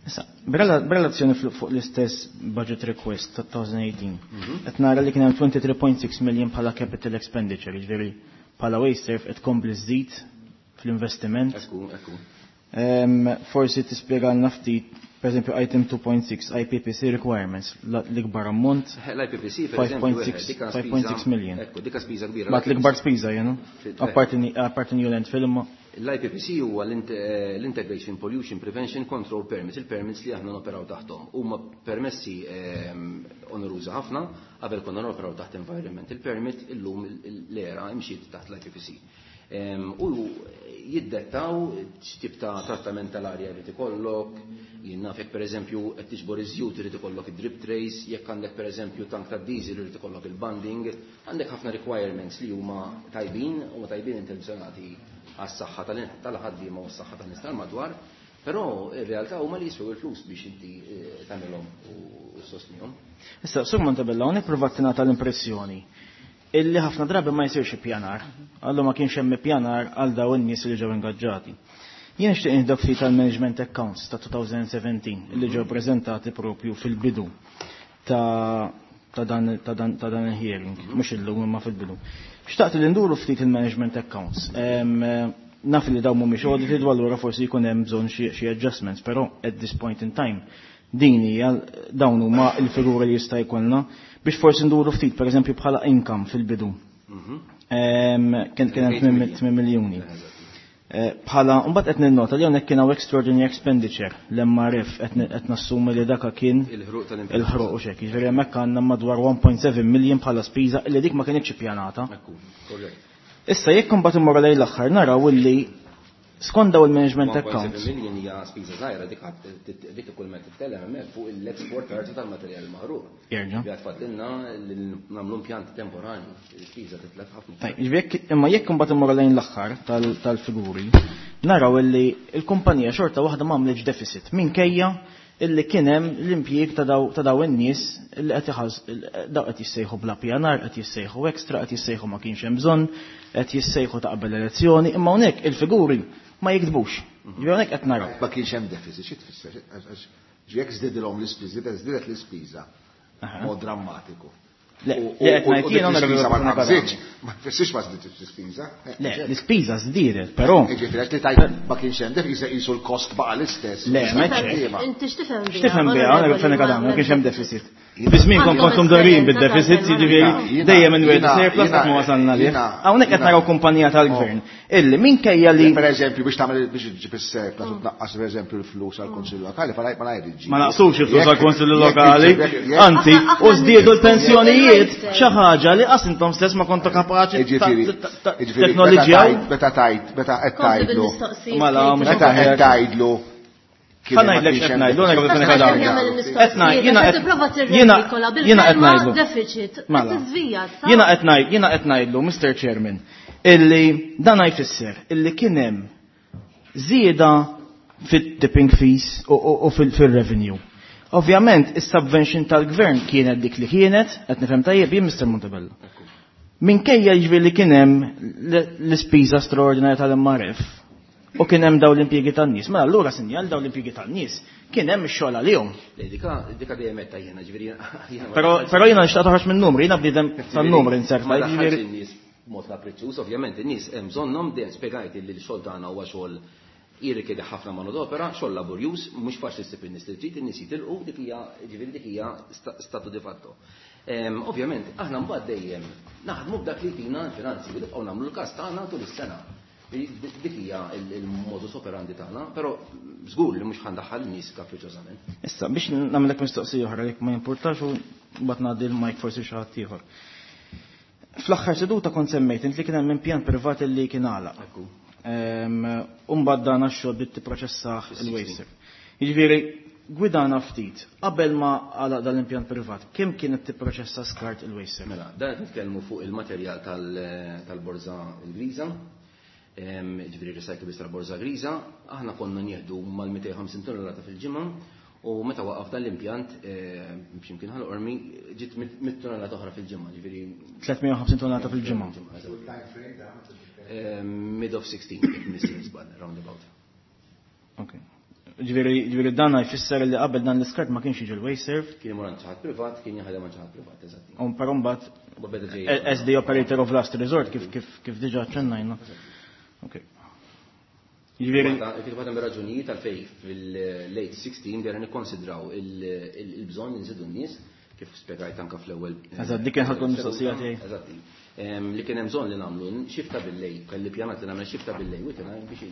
Issa, b'relazzjoni fuq l-istess budget request ta' 2018, qed nara li kien hemm 23.6 million bħala capital expenditure, jiġifieri bħala WasteServ qed tkompli żżid fl-investiment. Ekku, ekku. Forsi tispjegalna ftit, per esempio, item 2.6 IPPC requirements, l-ikbar ammont. L-IPPC, per esempio, 5.6 million. Ekku, dika spiża kbira. Bat l-ikbar spiża, jenu? Apparti new landfill imma. L-IPPC huwa l-Integration Pollution Prevention Control Permits, il-permits li aħna noperaw taħtom. Huma permessi oneruża ħafna, qabel konna noperaw taħt Environmental Permit, illum l-era imxiet taħt l-IPPC. U jiddettaw x'tip ta' trattament tal-arja jrid ikollok, jien naf jekk pereżempju qed tiġbor iż-żjut irid ikollok id-drip trays, jekk għandek pereżempju tank ta' diesel irid ikollok il-bunding, għandek ħafna requirements li huma tajbin, huma tajbin intenzjonati għas-saħħa tal-ħaddiema u s-saħħa tan-nies tal-madwar, però ir-realtà huma li jiswew il-flus biex inti tagħmilhom u ssostnihom. Issa, Sur Montebello, hawnhekk provat tingħata l-impressjoni illi ħafna drabi ma jsirx ippjanar. Għallu ma kienx hemm ippjanar għal dawn in-nies li ġew ingaġġati. Jien nixtieq nieħdok ftit tal-management accounts ta' 2017 illi ġew preżentati propju fil-bidu ta' dan il-hearing, mhux illum imma fil-bidu. Xtaqt li nduru ftit il-management accounts. Naf li dawn mhumiex audited u allura forsi jkun hemm bżonn xi adjustments, però at this point in time din hija dawn huma l-figuri li jista' jkollna biex forsi nduru ftit, pereżempju bħala income fil-bidu. Kien hemm 8 miljuni. Bħala mbagħad qed ninnota li hawnhekk kien hawn extraordinary expenditure l-MRF qed nassumi li daka kien il-ħruq tal-impjant. Il-ħruq u xek. Jiġifieri hemmhekk għandna madwar 1.7 million bħala spiża illi dik ma kienx ippjanata. Ekku, korrett. Issa jekk imbagħad immorru lejn l-aħħar naraw illi skont daw il-management 1.7 accounts. million hija spiża żgħira, dik kull ma titkellem hemmhekk fuq l-export tal-materjal maħruq. Jerġa'. Li għatfadlilna li nagħmlu impjant temporanju, l-ispiża titlef ħafna. Tajb, jiġifieri imma jekk imbagħad immorru lejn l-aħħar tal-figuri, naraw illi l-kumpanija xorta waħda m'għamlitx deficit minkejja illi kien hemm l-impjieg ta' daw in-nies illi qed iħas, daw qed jissejħu bla pjanar, qed jissejħu extra, qed jissejħu ma kienx hemm bżonn, qed jissejħu ta' qabel elezzjoni, imma hawnhekk il-figuri ma jikdbux. Ġifieri hawnhekk qed naraw. Ma kienx hemm deficit, xi tfisser? Għax jekk żdidilhom l-ispiża, żdiedet l-ispiża mod drammatiku. Le, le, qed U ngħid dik jiena l-ispiża ma onorevoli nqabżitx, ma tfissirx ma żdiditx l-ispiża. Le, l-ispiża żdiedet, però. Jiġifieri qed li tajt ma kienx hemm deficit, qisu l-kost baqa' l-istess. Le, ma hekk. Inti x'tifhem biha? X'tifhem biha, onorevoli Fenech Adami, ma kienx hemm deficit. Jiena- Fi żmien kontom dorin bid-deficit, Jiena- jiġifieri Jiena- dejjem inwiegħdu jiena- surplus qatt ma wasalna lih. jiena- Hawnhekk qed jiena- naraw kumpanija tal-gvern illi minkejja li Per eżempju, biex tagħmel biex iġġib is-surplus u tnaqqas per eżempju l-flus għall-Kunsill Lokali, ma ngħid Ma naqsux il-flus għall-Kunsill Lokali, Jekk- anzi, Aħna- u żdiedu l-pensjonijiet Jekk- xi ħaġa li qas intom stess ma kontu kapaċi Jiġifieri, jiġifieri, teknoloġija. Meta tajt, meta qed Kompli tgħidlu. bil-mistoqsijiet. Mela, mhux Meta qed tgħidlu. kien Ħa ma ngħidlek kienx x'qed hemm ngħidlu, deficit. onorevoli Fenech Adami. Qed ngħid, jiena qed jiena jiena qed ngħidlu. Deficit. Mela. Tiżvija, sa? Jiena qed ngħid, jiena qed ngħidlu, Mr. Chairman, illi dan jfisser illi kien hemm żieda fit-tipping fees u fil-revenue. Ovvjament, is-subvention tal-gvern kienet dik li kienet, qed nifhem tajjeb jien Mr. Montebello. Minkejja jiġifieri li kien hemm l-ispiża straordinarja tal-MRF u kien hemm dawn l-impjiegi tan-nies. Mela allura sinjal dawn l-impjiegi tan-nies kien hemm ix-xogħol għalihom. Le, dika dejjem qed jiena, ġifieri jiena ma Però daħħalx- però jiena nixtaq toħroġ minn numri, jiena bniedem tan-numri inserta, Ma daħħalx jiġifieri in-nies b'mod kapriċċuż, ovvjament in-nies hemm bżonnhom dejjem spjegajt li l-xogħol tagħna huwa xogħol jirrikjedi ħafna manodopera, xogħol laborjuż, mhux faċli ssib in-nies li trid, in-nies jitilqu, dik hija, ġifieri dik hija statu di fatto. Ovvjament, aħna mbagħad dejjem naħdmu b'dak li jtina l-finanzi, u nibqgħu nagħmlu l-każ tagħna tul is-sena. Dik hija il-modus operandi tagħna, però żgur li mhux ħandaħħal in-nies kapriċċożament. Issa, biex nagħmlek mistoqsija oħra jekk ma jimpurtax u mbagħad ngħaddi l-mic forsi xi ħadd ieħor. Fl-aħħar seduta kont semmejt int li kien hemm impjant privat li kien għalaq. Ekku. U mbagħad dan għax-xogħol bdiet tipproċessah il-WasteServ. Jiġifieri, gwidana ftit, qabel ma għalaq dan l-impjant privat, kemm kienet tipproċessa skart il-WasteServ? Mela, dan qed nitkellmu fuq il-materjal tal-borża Ingliża. Ġifieri recyclables tal-borża griża, aħna konna nieħdu mal-250 tonnellata fil-ġimgħa u meta waqaf dan l-impjant b'ximkien Ħal Qormi ġiet 100 tonnellata oħra fil-ġimgħa, ġifieri 350 tonnellata fil-ġimgħa. Mid of 16, jekk missir żball, roundabout. Ok. Ġifieri dan jfisser li qabel dan l-iskart ma kienx jiġi l-WasteServ. Kien imur għand xi ħadd privat, kien jaħdem għand xi ħadd privat, eżatt. U però mbagħad as the operator of last resort kif diġà ċennajna. Ok. Ġifieri Kif waħda mir-raġunijiet għalfejn fil-late 16 dejjem nikkonsidraw il-bżonn li nżidu n-nies, kif spjegajt anke fl-ewwel. Eżatt, dik kien ħatkun mistoqsija tiegħi. Eżatt. Li kien hemm bżonn li nagħmlu xifta bil-lejl, kelli pjanat li nagħmel xifta bil-lejl u biex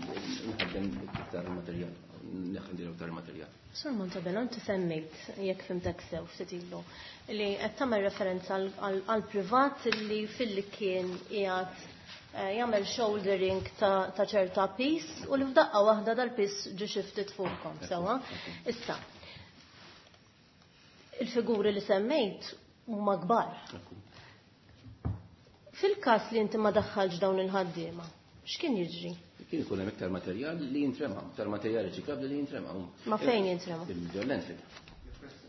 nħaddem iktar materjal, neħdem iktar materjal. Sur Montebello, inti semmejt, jekk fimtek sew ftit ilu, li qed tagħmel referenza għal privat li filli kien qiegħed jagħmel shouldering ta' ċerta piż u li f'daqqa waħda dal-piż ġie shifted fuqkom, sewwa. Issa, il-figuri li semmejt huma kbar. Fil-każ li inti ma daħħalx dawn il-ħaddiema, x'kien jiġri? Kien ikun hemm iktar materjal li jintrema, iktar materjal riċiklabbli li jintrema. Ma fejn jintrema? Il-landfill.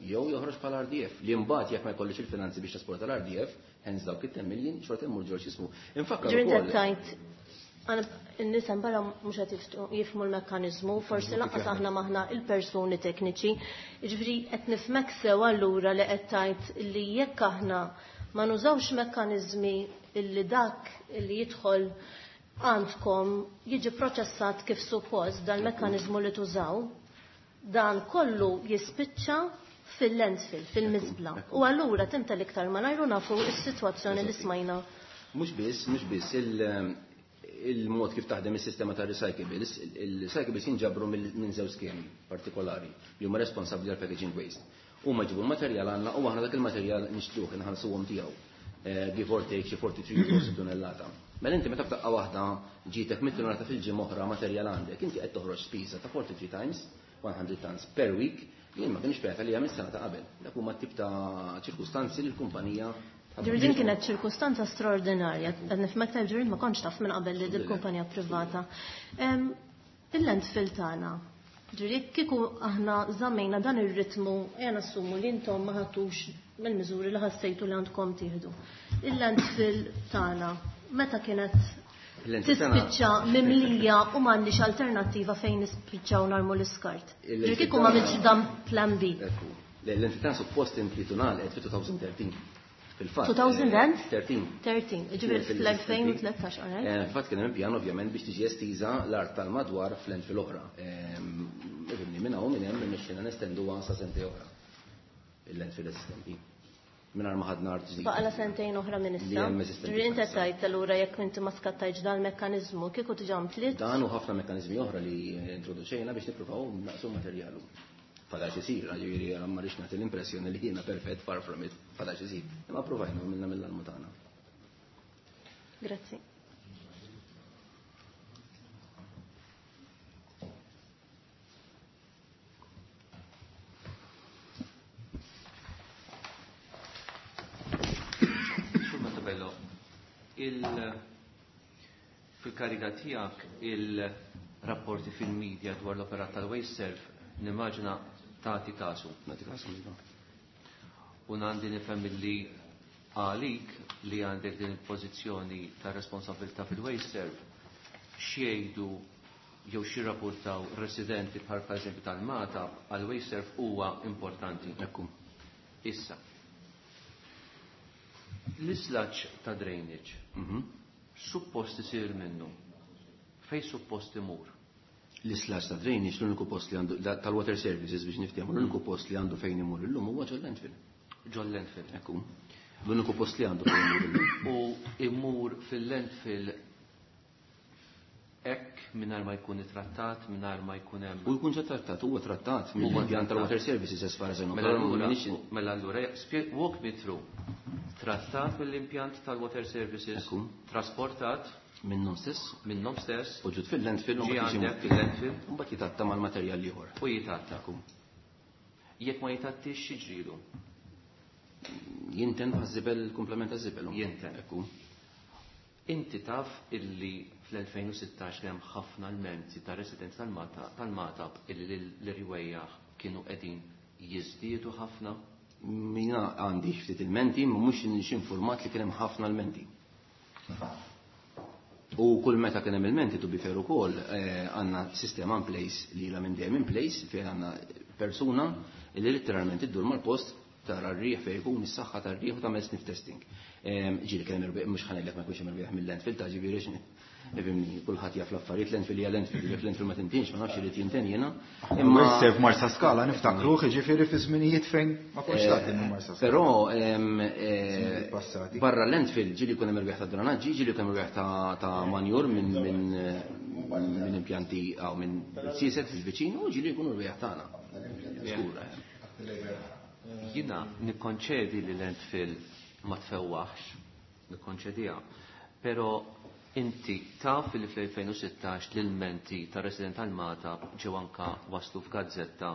Jew joħroġ bħala RDF, li mbagħad jekk ma jkollix il-finanzi biex trasporta l-RDF, hence dawk it-10 million, xorta jmur ġol x'ismu. Infakkar Ġifieri ukoll tajt, n-nies hemm barra mhux qed jifhmu l-mekkaniżmu, forsi lanqas aħna maħna il-persuni tekniċi. Jiġifieri qed nifhmek sew allura li qed tajt li jekk aħna ma nużawx mekkaniżmi illi dak illi jidħol għandkom jiġi proċessat kif suppost dal-mekkaniżmu li tużaw, dan kollu jispiċċa fil-landfill, fil-miżbla. U allura tinta l-iktar ma najru nafu s-sitwazzjoni li smajna. Mhux biss, il-mod kif taħdem is-sistema ta' recyclables, il-recyclables jinġabru minn żewġ skemi partikolari li huma responsabbli għal packaging waste. Huma jġibu l-materjal għandna u aħna dak il-materjal nixtruh, inħallsuhom tiegħu. Give or take xi 43 euros tonnellata. Mela inti meta f'daqqa waħda ġietek 100 tonnellata fil-ġimgħa oħra materjal għandek, inti qed toħroġ spiża ta' 43 times 100 tons per week, jien ma kienx pjata li hemm is-sena ta' qabel. Dak huma tip ta' ċirkustanzi li l-kumpanija Ġifieri din kienet ċirkustanza straordinarja. Qed nifhmek tajb ġifieri ma kontx taf minn qabel li dil-kumpanija privata. Il-landfill tagħna. Ġifieri kieku aħna żammejna dan ir-ritmu, ejja nassumu li intom ma ħadtux mill-miżuri li ħassejtu li għandkom tieħdu. Il-landfill tagħna meta kienet tispiċċa mimlija u m'għandix alternattiva fejn nispiċċaw narmu l-iskart. Ġifieri kieku ma għamilx dan plan B. L-entità suppost implitu ngħalqet fi 2013. Fil-fatt. 2013? 13. Ġifieri fl-2013, all right? Fil-fatt kien hemm pjan ovvjament biex tiġi estiża l-art tal-madwar fl-landfill oħra. Ifhimni minn hawn minn hemm irnexxielna nestenduha sa sentejn oħra. Il-landfill eżistenti. Mingħajr ma ħadna art ġdida. Baqala sentejn oħra minn issa. Li hemm eżistenti Ġifieri inti bħalissa. tajt allura jekk inti ma skattajtx dan il-mekkaniżmu kieku diġà mtliet. Dan u ħafna mekkaniżmi oħra li introduċejna biex nippruvaw naqsu materjalu. Fadal xi jsir, ġifieri ma rridx nagħti l-impressjoni li jiena perfett far from it, fadal xi jsir. Imma provajna u minna mill-almu tagħna. Grazzi. Sur Montebello, fil-kariga tiegħek il-rapporti fil-medja dwar l-operat tal-WasteServ nimmaġina tagħti kasu. Nagħti kasu, iva. U għandi nifhem li għalik li għandek din il-pożizzjoni ta' responsabilità fil-WasteServ x'jgħidu jew x'jirrapportaw residenti bħal pereżempju tal-Mata għal WasteServ huwa importanti. Ekku. Issa. L-islaċ ta' drainage suppost isir minnu. Fej suppost imur? L-islaċ ta' drainage l-uniku post li għandu tal-water services biex niftehmu, l-uniku post li għandu fejn imur illum huwa ġol landfill. Ġol landfill. Ekku. L-uniku post li għandu fejn imur illum. U imur fil-landfill hekk mingħajr ma jkun ittrattat, mingħajr ma jkun hemm. U jkun ġa trattat, huwa trattat Huwa mill-impjant trattat. tal-water services as far as I know. Mela Però allura, m'iniex mela allura, walk me through. Trattat mill-impjant tal-water services, Ekku. trasportat minnhom stess, minnhom stess, u ġud fil-landfill u ġie mbagħad jiġi għandek fil-landfill. U mbagħad jitatta mal-materjal ieħor. U jitatta. Ekku. Jekk ma jitattix x'jiġrilu? Jinten bħaż-żibel, komplement taż-żibel. Jinten. Ekku. Inti taf illi fl-2016 kien hemm ħafna lmenti ta' residenti tal-Magħtab illi l-irwejjaħ kienu qegħdin jiżdiedu ħafna? Mina għandi ftit ilmenti, ma mhux informat li kien hemm ħafna lmenti. U kull meta kien hemm ilmenti, to be fair ukoll, għandna sistema in place li ilha minn dejjem in place fejn għandna persuna li letteralment iddur mal-post tara r-riħ fejn ikun is-saħħa tar-riħ u tagħmel sniff testing. Ġieli kien hemm irwieħ, mhux ħa ngħidlek ma jkunx hemm irwieħ mill-landfill ta' ġifieri ifhimni, kulħadd jaf l-affarijiet, landfill hija landfill, jekk landfill ma tintinx, ma nafx irid jinten jiena. Imma sef Marsa Skala niftakruh, jiġifieri fi żminijiet fejn ma kontx tgħaddi minn Marsa Skala. Però Żminijiet passati. barra landfill ġieli jkun hemm irwieħ ta' dranaġġi, ġieli jkun hemm irwieħ ta' manjur minn impjanti aw minn sieset fil-viċin u ġieli jkunu rwieħ tagħna. Żgur. Jiena nikkonċedi li landfill ma tfewwaħx, nikkonċediha, però inti taf li fl-2016 l-ilmenti ta' resident tal-Magħtab ġew anka waslu f'gazzetta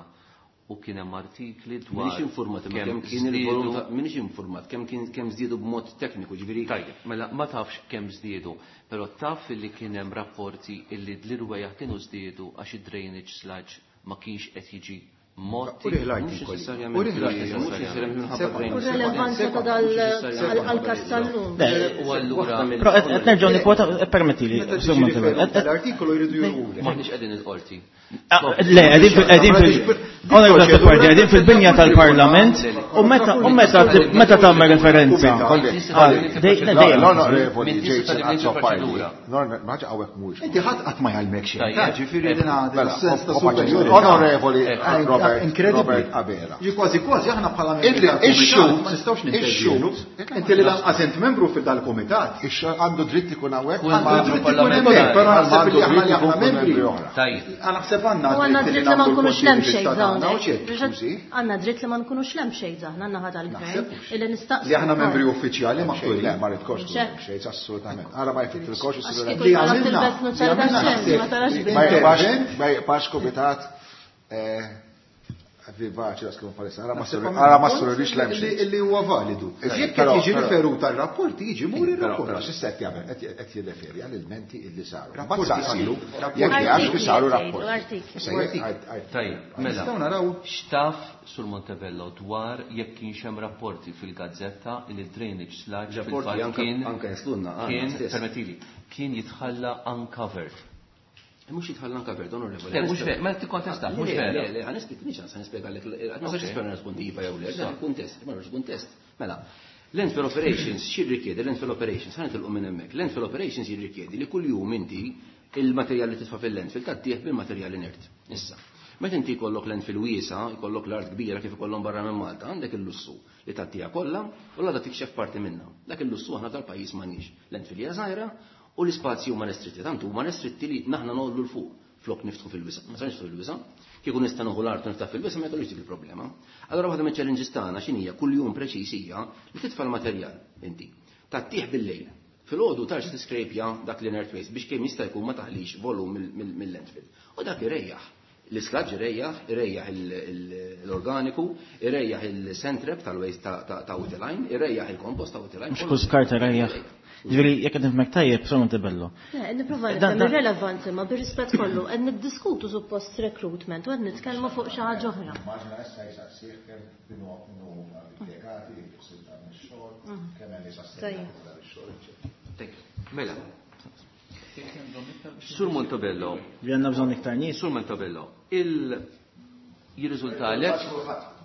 u kien hemm artikli dwar M'iniex informat imma kemm kemm kien il-volum żdiedu ta' m'iniex informat kemm kien kemm żdiedu b'mod tekniku, ġifieri. Tajjeb, mela ma tafx kemm żdiedu, però taf li kien hemm rapporti illi l-irwejjaħ kienu żdiedu għax id-drainage sludge ma kienx qed jiġi Motti. Uri l-artikoli. Mhux necessarjament. Uri l-artikoli. Mhux necessarjament minħabba Sekonda. drainage. U relevanza ta' dal għal-każ tal-lum. Le, U allura Però qed nerġgħu nikkwota, permettili, Meta Sur tiġi Montebello. riferut l-artikolu jridu jurulek. Maħniex qegħdin il-qorti. Le, qegħdin fil- qegħdin fil- Onorevoli Azzopardi, qegħdin fil-binja tal-Parlament u meta u meta meta tagħmel referenza. Dejjem. L-onorevoli Min tista' Jason tibni Azzopardi. proċedura. Ma ħaġa hawnhekk mhuwiex. Inti ħadd qatt ma jgħallmek xejn. Tajjeb. Ta' ġifieri din għadha Mela, sens ta' ho- superjorità. Onorevoli Robert Incredibly. Robert Abela. Ġi kważi kważi aħna bħala membri Illi tal-kumitat ix-xhud- ma nistgħux ix-xhud- nintervjenu. Inti li lanqas int membru fil-dal-kumitat. Ix-xhud għandu dritt ikun hawnhekk. Kull Għandu membru dritt ikun parlamentari. hemmhekk, però naħseb Għandu li aħna dritt li aħna ikun kull membri. membri oħra. Tajjeb. Naħseb għandna U għandna dritt li dritt li ma nagħmlu nkunux l-punti lem di xejn vista tagħna, u hawnhekk. xejn. Skużi? Għandna dritt li ma nkunux lem xejn aħna naħa tal-gvern Naħseb. illi nistaqsu. Li aħna membri uffiċjali Xejn, maħturin. Le, ma ridkox Xejn. xejn, assolutament. Ara ma jfittilkox Għax is-sur kieku Li tara għamilna, tilbes li nuċċar għamilna tax-xemx, ma tarax naħseb. bih. Ma jibqax Intervent. ma jibqax kumitat vivaċi da skun palissa. Ara ma Naħseb sur- għamilna ara ma punt surrix lem li- xejn. Li huwa validu. Jekk qed Però- jiġi però- riferut għal-rapport, jiġi mur Però, ir-rapport. però, x'issa qed jagħmel? Qed jirreferi għall-ilmenti illi saru. Rapporti Mbagħad saqsilu saru. Rapporti. jekk jgħax li Artikli saru qed jgħidu, rapporti. artikli. Issa jekk għajt- Tajjeb, mela. Nistgħu naraw. X'taf sur Montebello dwar jekk kienx hemm rapporti fil-gazzetta li drainage sludge Rapporti fil-fatt anka- kien anka jaslunna, għandna kien stess. permettili, kien jitħalla uncovered. Mhux jitħalla uncovered, onorevoli. Le, mhux vera, ma tikkontesta, mhux Le, vera. Le, le, ħa nispjega, ċans, ħa nispjegalek, ma nistax nispjega nirrispondi iva jew le, dan kuntest, ma nirrispondi kuntest. Mela, landfill operations x'jirrikjedi landfill operations, ħa nitilqu minn hemmhekk. Landfill operations jirrikjedi li kuljum inti il-materjal li titfa' fil-landfill tgħaddih bil-materjal inert. Issa, meta inti jkollok landfill wiesa, jkollok l-art kbira kif ikollhom barra minn Malta, għandek il-lussu li tgħaddiha kollha u l-għada tikxef parti minnha. Dak il-lussu aħna tal-pajjiż m'għandniex. Landfill hija żgħira u l-ispazji huma restritti, tant huma restritti li naħna nollu l fuq flok niftħu fil-wisa. Ma sarx fil-wisa. Kieku nista' nieħu l-art u niftaħ fil-wisa ma jkollix dik il-problema. Allora waħda mill-challenges tagħna x'inhija kuljum preċiż hija li titfa' l-materjal inti. Tgħattih bil-lejl. Filgħodu tarġa' tiskrejpja dak l-inert waste biex kemm jista' jkun ma taħlix volum mill-landfill. U dak irejjaħ. L-isludge irejjaħ, irejjaħ l-organiku, irejjaħ il-sand trap tal-waste ta' Utiline, irejjaħ il-kompost ta' Utiline. Mhux kull skart irejjaħ. Ġifieri jekk qed nifhmek tajjeb, Sur Montebello. Le, nipprova Dan- nifhem ir-relevanza ma bir-rispett kollu qed niddiskutu suppost recruitment u qed nitkellmu fuq xi ħaġa oħra. Immaġina issa jsaqsih kemm kienu impjegati, ħsieb dan ix-xogħol, kemm hemm nies Tajjeb. assenjati dan ix-xogħol, eċċetera. Tajjeb, Mela. Sur Montebello, Li għandna bżonn iktar nies. Sur Montebello, il jirriżultalek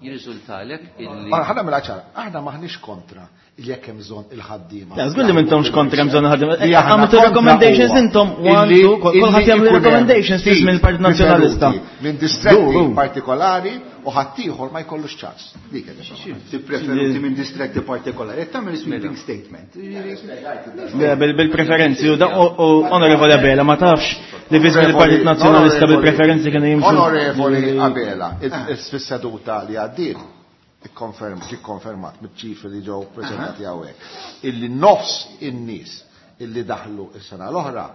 jirriżultalek illi Ara, ħa nagħmilha ċara, aħna maħniex kontra il jekk hemm bżonn il-ħaddiema. Le, żgur li m'intomx kontra hemm bżonn ħaddiema. Li aħna Għamiltu kontra recommendations huwa intom, one, illi- two, kulħadd illi jagħmel ikun hemm recommendations fi żmien il-Partit Nazzjonalista. riferuti Minn distretti Du, du. partikolari u ħaddieħor ma jkollux ċans. Dik qed Tippreferuti minn distretti partikolari, qed tagħmel sweeping statement. Le, bil-preferenzi u u onorevoli Abela ma tafx li fi żmien il-Partit Nazzjonalista bil-preferenzi kienu jimxu. Onorevoli Abela, fis-seduta li għaddiet, ikkonfermat miċ-ċifri li ġew preżentati hawnhekk, illi nofs in-nies illi daħlu is-sena l-oħra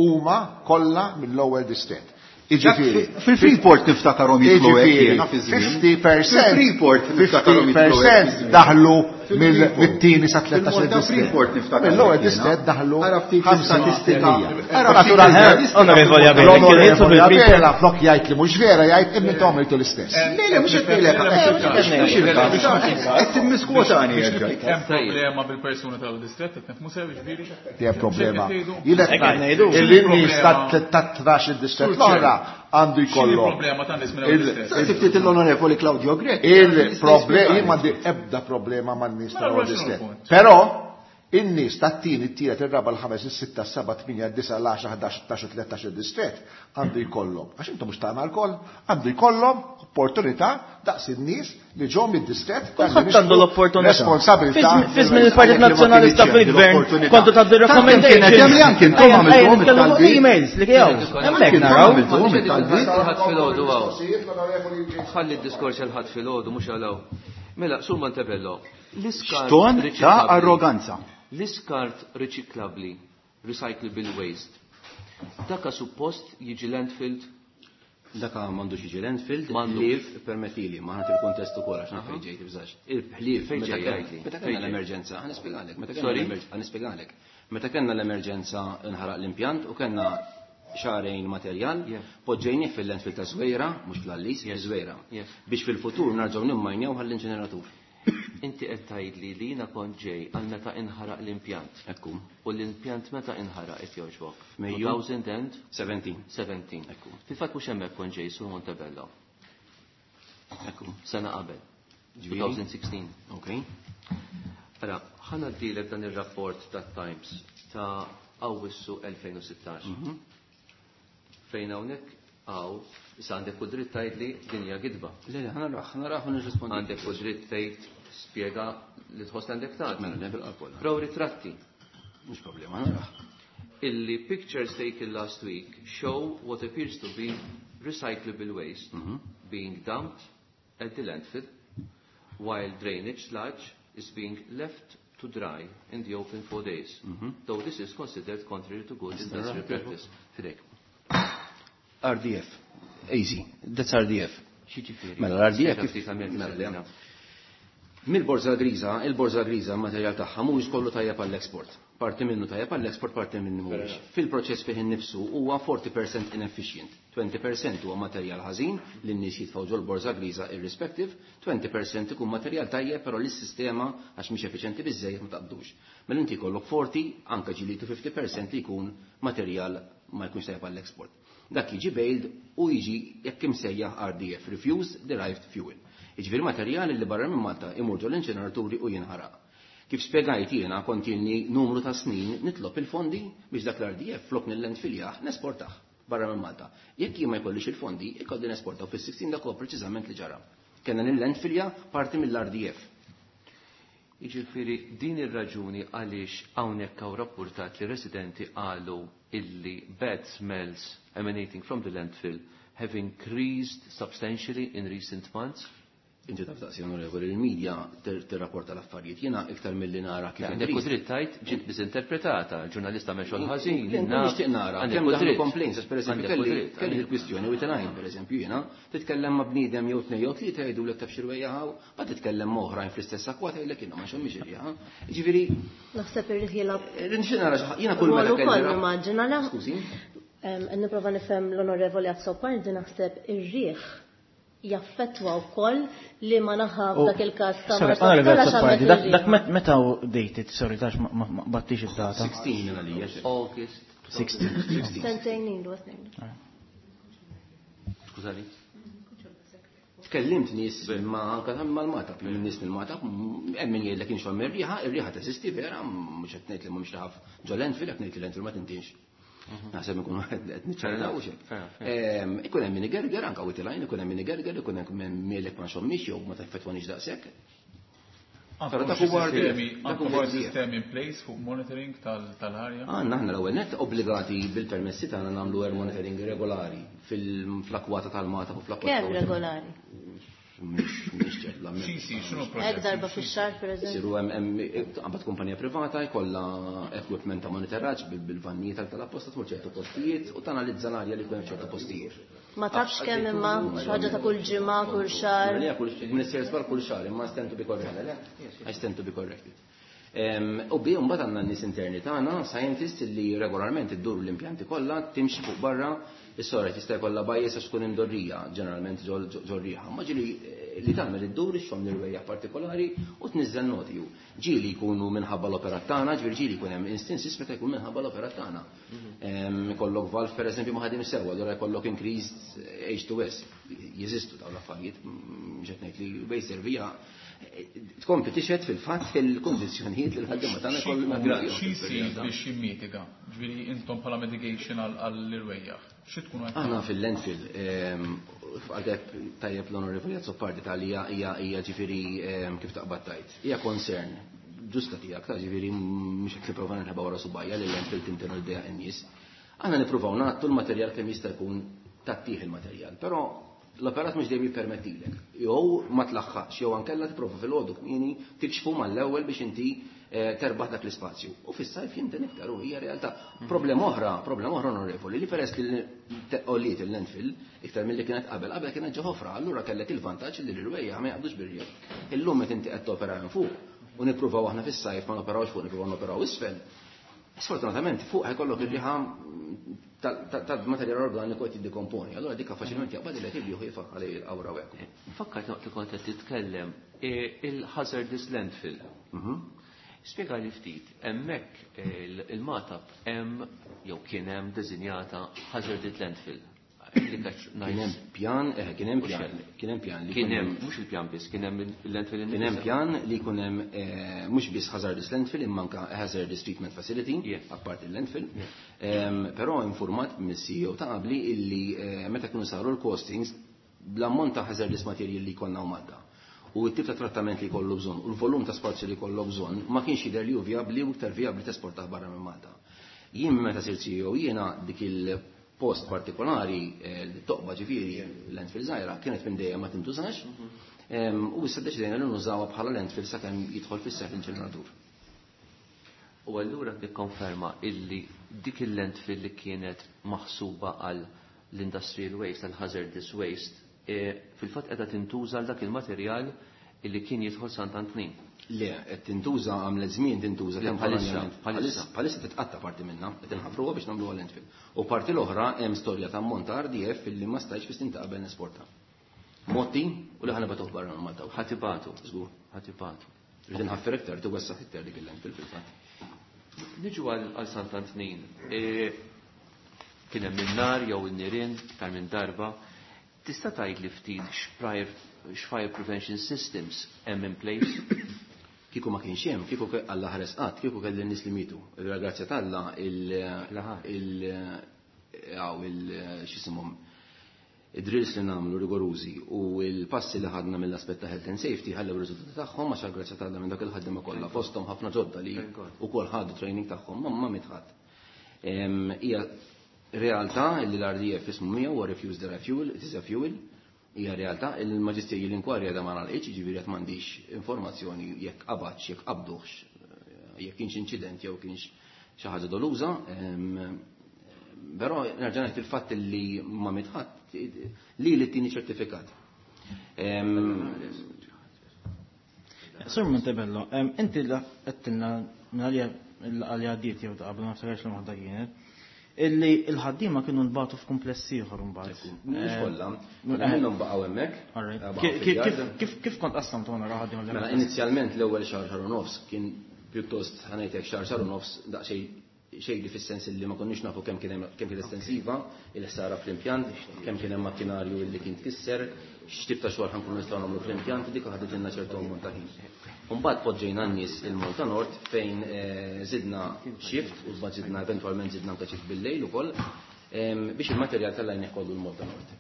huma kollha mill-ewwel distrett. Iġifieri, Fil-Freeport niftakarhom jitlu hekk Iġifieri, jiena fi żmien. 50% Fil-Freeport niftakarhom jitlu hekk fi 50% żmien. daħlu Mit-tieni sa 13 distret. Mill-ewwel distret daħlu statistika. Onorevoli Abela, flok jgħid li mhux vera jgħid imma intom għamiltu l-istess. Le, le, mhux qed ngħidlek. Qed timmiskwotani jerġa'. Hemm problema bil-persuna tal-distret qed nifhmu sew jiġifieri? Hemm problema. Jien qed ngħid il-nies ta' 13 distret l-oħra għandu jkollhom. problema ta' nies minn Ftit l-Onorevoli Claudio Grech. Il-problema, jien m'għandi ebda problema man-nies tal-ewwel distret. Però in-nies tat-tieni, it-tielet, ir-raba', l-ħames, is-sitta, s-seba', tmienja, d-disa', l-għaxra, 11, 12, 13 distret għandu jkollhom. Għax intom mhux tagħna lkoll, għandu jkollhom opportunità daqs in-nies li ġew mid-distret. Kulħadd għandu l-opportunità. Responsabilità. Fi żmien il-Partit Nazzjonalista fil-Gvern kontu tgħaddu recommendations. Kienet hemm li anke intom għamiltuhom it-talbiet. Emails li kiew. Hemmhekk naraw. Ħadd filgħodu hawn. Ħalli d-diskors għal ħadd filgħodu mhux għal hawn. Mela, Sur Montebello, l-iskart. X'ton ta' arroganza. L-iskart riċiklabbli, recyclable waste, daka suppost jiġi landfilled? Daka m'għandux jiġi landfilled, ħlief, permettili, ma ħadd il-kuntest ukoll għax naf fejn ġejt ibżax. Il-ħlief Fejn ġej, għidli. meta kellna l-emerġenza, ħa nispjegalek, meta kellna Sorry? l-emerġ-, ħa nispjegalek. Meta kellna l-emerġenza nħaraq l-impjant u kellna xahrejn materjal, poġġejnieh fil-landfill ta' Żwejra, mhux fl-Għallis, fi Żwejra, biex fil-futur narġgħu nimmajnjaw għall-inċineratur. Inti qed tgħidli li jiena kont ġej għal meta inħaraq l-impjant. Ekku. U l-impjant meta inħaraq qed jogħġbok? Mejju. 2017. 17. Ekku. Fil-fatt mhux hemmhekk kont ġej sur Montebello. Ekku. Sena qabel. Ġifieri? 2016. Ok. Ara, ħa ngħaddilek dan ir-rapport tat-Times ta' Awwissu 2016. Fejn hawnhekk hawn, issa għandek u dritt tgħidli din hija gidba. Le, le, ħa naraħ, ħa naraħ u nirrispondi. Għandek u dritt tgħid spjega li tħoss li għandek tagħti. Mela, le, bil-qalb kollha. Raw ritratti. Mhux problema, ħa naraħ. Illi pictures taken last week show what appears to be recyclable waste being dumped at the landfill while drainage sludge is being left to dry in the open for days, though this is considered contrary to good industrial practice. Fidejk. RDF. Easy. That's RDF. X'jiġifieri? Mela l-RDF kif Ftit għamil Mela, le. tismina. Mill-borża griża, il-borża griża materjal tagħha mhuwiex kollu tajjeb għall-export. Parti minnu tajjeb għall-export, parti minnu mhuwiex. Fil-proċess fih innifsu huwa 40% inefficient. 20% huwa materjal ħażin li n-nies jitfgħu ġol-borża griża irrespective, 20% ikun materjal tajjeb però lis-sistema għax mhix effiċjenti biżejjed ma taqbdux. Mela inti jkollok 40 anke ġieli to 50% li jkun materjal ma jkunx tajjeb għall-export. Dak jiġi baled u jiġi jekk imsejjaħ RDF, Refuse Derived Fuel. Jiġifieri materjali li barra minn Malta imur ġol inċineraturi u jinħaraq. Kif spjegajt jiena kont ilni numru ta' snin nitlob il-fondi biex dak l-RDF flok nil-landfilljah nesportah barra minn Malta. Jekk jien ma jkollix il-fondi, ikolli nesportaw fis-16 dak huwa preċiżament li ġara. Kellna nil-landfilja parti mill-RDF. Jiġifieri din ir-raġuni għaliex hawnhekk hawn rappurtat li residenti qalu illi bad smells emanating from the landfill have increased substantially in recent months. Inti taf taqsi, onorevoli, il-medja tirrapporta l-affarijiet. Jiena iktar milli nara kif Għandek u dritt tgħid ġiet misinterpretata, il-ġurnalista għamel xogħol ħażin, Jien naf. nixtieq nara Għandek kemm u daħlu dritt. complaints, għax pereżempju Għandek u dritt, kelli għandek. il-kwistjoni u it-tnajn, pereżempju jiena, titkellem ma' bniedem jew tnejn jew tlieta jgħidulek taf xi rwejjaħ, ma titkellem ma' oħrajn fl-istess akwa tgħidlek jiena ma nxommix ir-riħa. Jiġifieri Naħseb irrid jilgħab nixtieq nara xi ħadd, jiena kull meta Rwol kelli ukoll ra- nimmaġina la. Skużi? Nipprova nifhem l-Onorevoli Azzopardi naħseb ir-riħ jaffettwa wkoll li ma naħa f'dak il-każ ta' Sorry, Marsa Onorevoli Scala Azzopardi, x'għamlet dak ir-riħ. dak meta hu dated, sorry, tax ma battix id-data. 16 minn għalija. August. 16. Sentejn ilu, snin. Skużani. Tkellimt nies ma anka mal-Magħtab, minn nies mill-Magħtab, hemm min jgħidlek inxomm ir-riħa, ir-riħa teżisti vera, mhux qed ngħid li mhumiex riħa ġo landfill, qed ngħid li landfill ma tintinx. Naħseb ikun qed niċċarraw xejn. Ikun hemm min igerger anke witilajn, ikun hemm min igerger, ikun hemm min mielek ma nxommix jew ma teffettwanix daqshekk. Però Għandkom dak xi huwa RDF, sistemi, dak għandkom huwa xi RDF. sistemi in place fuq monitoring tal-arja? Għandna aħna l-ewwel net obbligati bil-permessi tagħna nagħmlu air monitoring regolari fil-flakwata tal-Magħtab u fl-akwata. Kemm regolari? Mhix ċert, la Xi jsir, x'inhu Hekk l-proċess? darba fix-xahar pereżempju. Isiru hemm qabad kumpanija privata jkollha equipment ta' monitoraġġ bil-vannijiet tal-apposta tmur ċertu postijiet u tanalizza l-arja li jkun hemm ċertu postijiet. Ma tafx kemm imma xi ħaġa ta' kull ġimgħa, kull xahar. Minister żbar kull xahar, imma stand to be corrected. I stand to be corrected. U bi mbagħad għandna n-nies interni tagħna, scientists li regolarment iddur l-impjanti kollha, timxi fuq barra, is-sora tista' jkollha bajjes għax tkun imdorrija, ġeneralment ġorriħa. Ma ġieli li tagħmel iddur ixxomm l-irwejjaħ partikolari u tniżżel noti. Ġieli jkunu minħabba l-operat tagħna, ġifieri ġieli jkun hemm instances meta jkun minħabba l-operat tagħna. Ikollok valve pereżempju ma ħadim sewa, allura jkollok increased H2S. Jeżistu dawn l-affarijiet, mhux qed ngħid li WasteServ hija tkompli tixhed fil-fatt fil-kondizzjonijiet li l-ħaddiema tagħna jkollhom jagħmlu. Xi jsir biex jimmitiga? Ġifieri intom bħala mitigation għall-irwejjaħ. Xi tkunu qed Aħna fil-landfill, għalhekk tajjeb l-Onorevoli Azzopardi tal hija hija ġifieri kif taqbad tajt. Hija concern ġusta tiegħek ta' ġifieri mhux qed nipprova nħeba wara subajja li l-landfill tintenu l-dejja in-nies. Aħna nippruvaw nagħtu l-materjal kemm jista' jkun tattih il-materjal, però l-operat mhux dejjem jippermettilek. Jew ma tlaħħaqx, jew ankella tipprova fil-għodu kmieni tikxfu mal-ewwel biex inti terbaħ dak l-ispazju. U fis-sajf jinten iktar u hija realtà. Problema oħra, problema oħra onorevoli, li peress li għolliet il-landfill iktar milli kienet qabel, qabel kienet ġo ħofra, allura kellek il-vantaġġ li l-irwejjaħ ma jaqbdux bir-riħ. Illum meta inti qed topera minn fuq u nippruvaw aħna fis-sajf ma noperawx fuq, nippruvaw noperaw isfel. Sfortunatament fuq ħajkollok ir-riħa tal-materjal organiku qed jiddekomponi. Allura dik faċilment jaqbad il qed jieħu jifaq għalih il-qawra u hekk. Fakkart waqt li kont qed titkellem il-hazardous landfill. Spjega li ftit, hemmhekk il-Magħtab hemm jew kien hemm deżinjata hazardous landfill. Kien hemm pjan, kien hemm pjan, kien hemm pjan li Kien hemm, mhux il-pjan biss, kien hemm il-landfill Kien hemm pjan li jkun hemm mhux biss hazardous landfill imma anke hazardous treatment facility, apart il-landfill. Però informat mis-CEO ta' qabli illi meta kienu saru l-costings bl-ammont ta' hazardous material li konna u Malta. U t-tip ta' trattament li kollu bżonn u l-volum ta' spazju li kollu bżonn ma kienx jidher li hu vijabbli u iktar vijabbli tesportah barra minn Malta. Jien meta sirt CEO jiena dik il-post partikolari li toqba ġifieri landfill żgħira kienet minn dejjem ma tintużax. U issa deċidejna li nużawha bħala landfill sakemm jidħol fis-seħħ l-inċineratur. U allura tikkonferma illi dik il-landfill li kienet maħsuba għal l-industrial waste, għal hazardous waste, fil-fatt qiegħda tintuża għal dak il-materjal illi kien jidħol Sant'Antnin. Le, qed tintuża għamlet żmien tintuża Le, bħalissa, temporanjament. bħalissa. Bħalissa titqatta parti minnha, qed inħaffruha biex nagħmluha landfill. U parti l-oħra hemm storja ta' ammont ta' RDF illi ma stajtx biex tintaqbel nesporta. Motti u li ħana batuh barra minn Malta. Ħa tibagħtu. Żgur. Ħa tibagħtu. Rrid inħaffer iktar, tiwessaħ iktar dik il-landfill fil-fatt. Niġu għal Sant'Antnin. Kien hemm in-nar jew in-nirien iktar minn darba. Tista' tgħid li ftit x'fire prevention systems hemm in place? Kieku ma kienx hemm, kieku Alla ħares qatt, kieku kelli n-nies li mietu. Il-grazzja t'Alla il x'isimhom id-drills li nagħmlu rigorużi u l-passi li ħadna mill-aspett ta' health and safety ħallew ir-riżultati tagħhom għax għall-grazzja t'Alla minn dak il-ħaddiema kollha fosthom ħafna ġodda li ukoll ħadu training tagħhom ma miet ħadd. Hija realtà li l-RDF ismu miegħu huwa refuse derived fuel, it is a fuel. Hija realtà li l-maġisterji l-inkwarja da ma nagħlqitx, jiġifieri qed m'għandix informazzjoni jekk qabadx, jekk qabduhx, jekk kienx inċident jew kienx xi ħaġa doluża. Però nerġa' ngħid il-fatt li ma miet ħadd li tieni ċertifikat. Sur Montebello, inti għedtilna minn għalija l-għalja għaddiet jew ta' qabel ma niftakarx li waħda kienet, illi il-ħaddiema kienu nbagħtu f'kumpless ieħor mbagħad. Mhux kollha, minnhom baqgħu hemmhekk. All right. Baqgħu fil-yard. Kif kont qassamt ora ħaddiema li Mela, hemmhekk? inizjalment l-ewwel xahar, xahar u nofs kien pjuttost ħa ngħidlek xahar, xahar u nofs daqsxejn xejn fis-sens li ma konniex nafu kemm kien hemm, kemm kien estensiva il-ħsara fl-impjant, kemm kien hemm makkinarju li kien tkisser, x'tip ta' xogħol ħankunu nistgħu nagħmlu fl-impjant, dik ħadet ilna ċertu ammont ta' ħin. Imbagħad poġġejna n-nies il-Malta Nord fejn żidna shift u mbagħad żidna eventwalment żidna anke shift bil-lejl ukoll, biex il-materjal tal-lajn ikollu l-Malta Nord.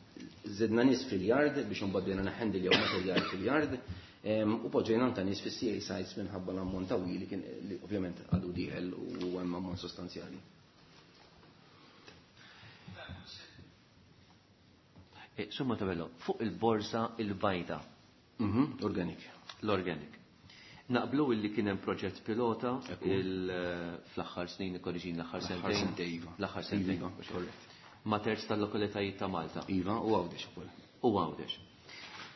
Żidna nies fil-yard biex imbagħad bdejna neħendiljaw materjal fil-yard, u poġġejna anke nies fis-CA sites minħabba l-ammont ta' li kien li ovvjament għadu dieħel u hemm ammont sostanzjali. Sur Montebello, fuq il-borsa il-bajda. Organic. L-organic. Naqblu illi kien hemm proġett pilota fl-aħħar snin, ikkorriġin l-aħħar L-aħħar sentejn. sentejn, iva. L-aħħar sentejn. Iva, korrett. ma' terz tal-lokalitajiet ta' Malta. Iva, u Għawdex ukoll. U Għawdex.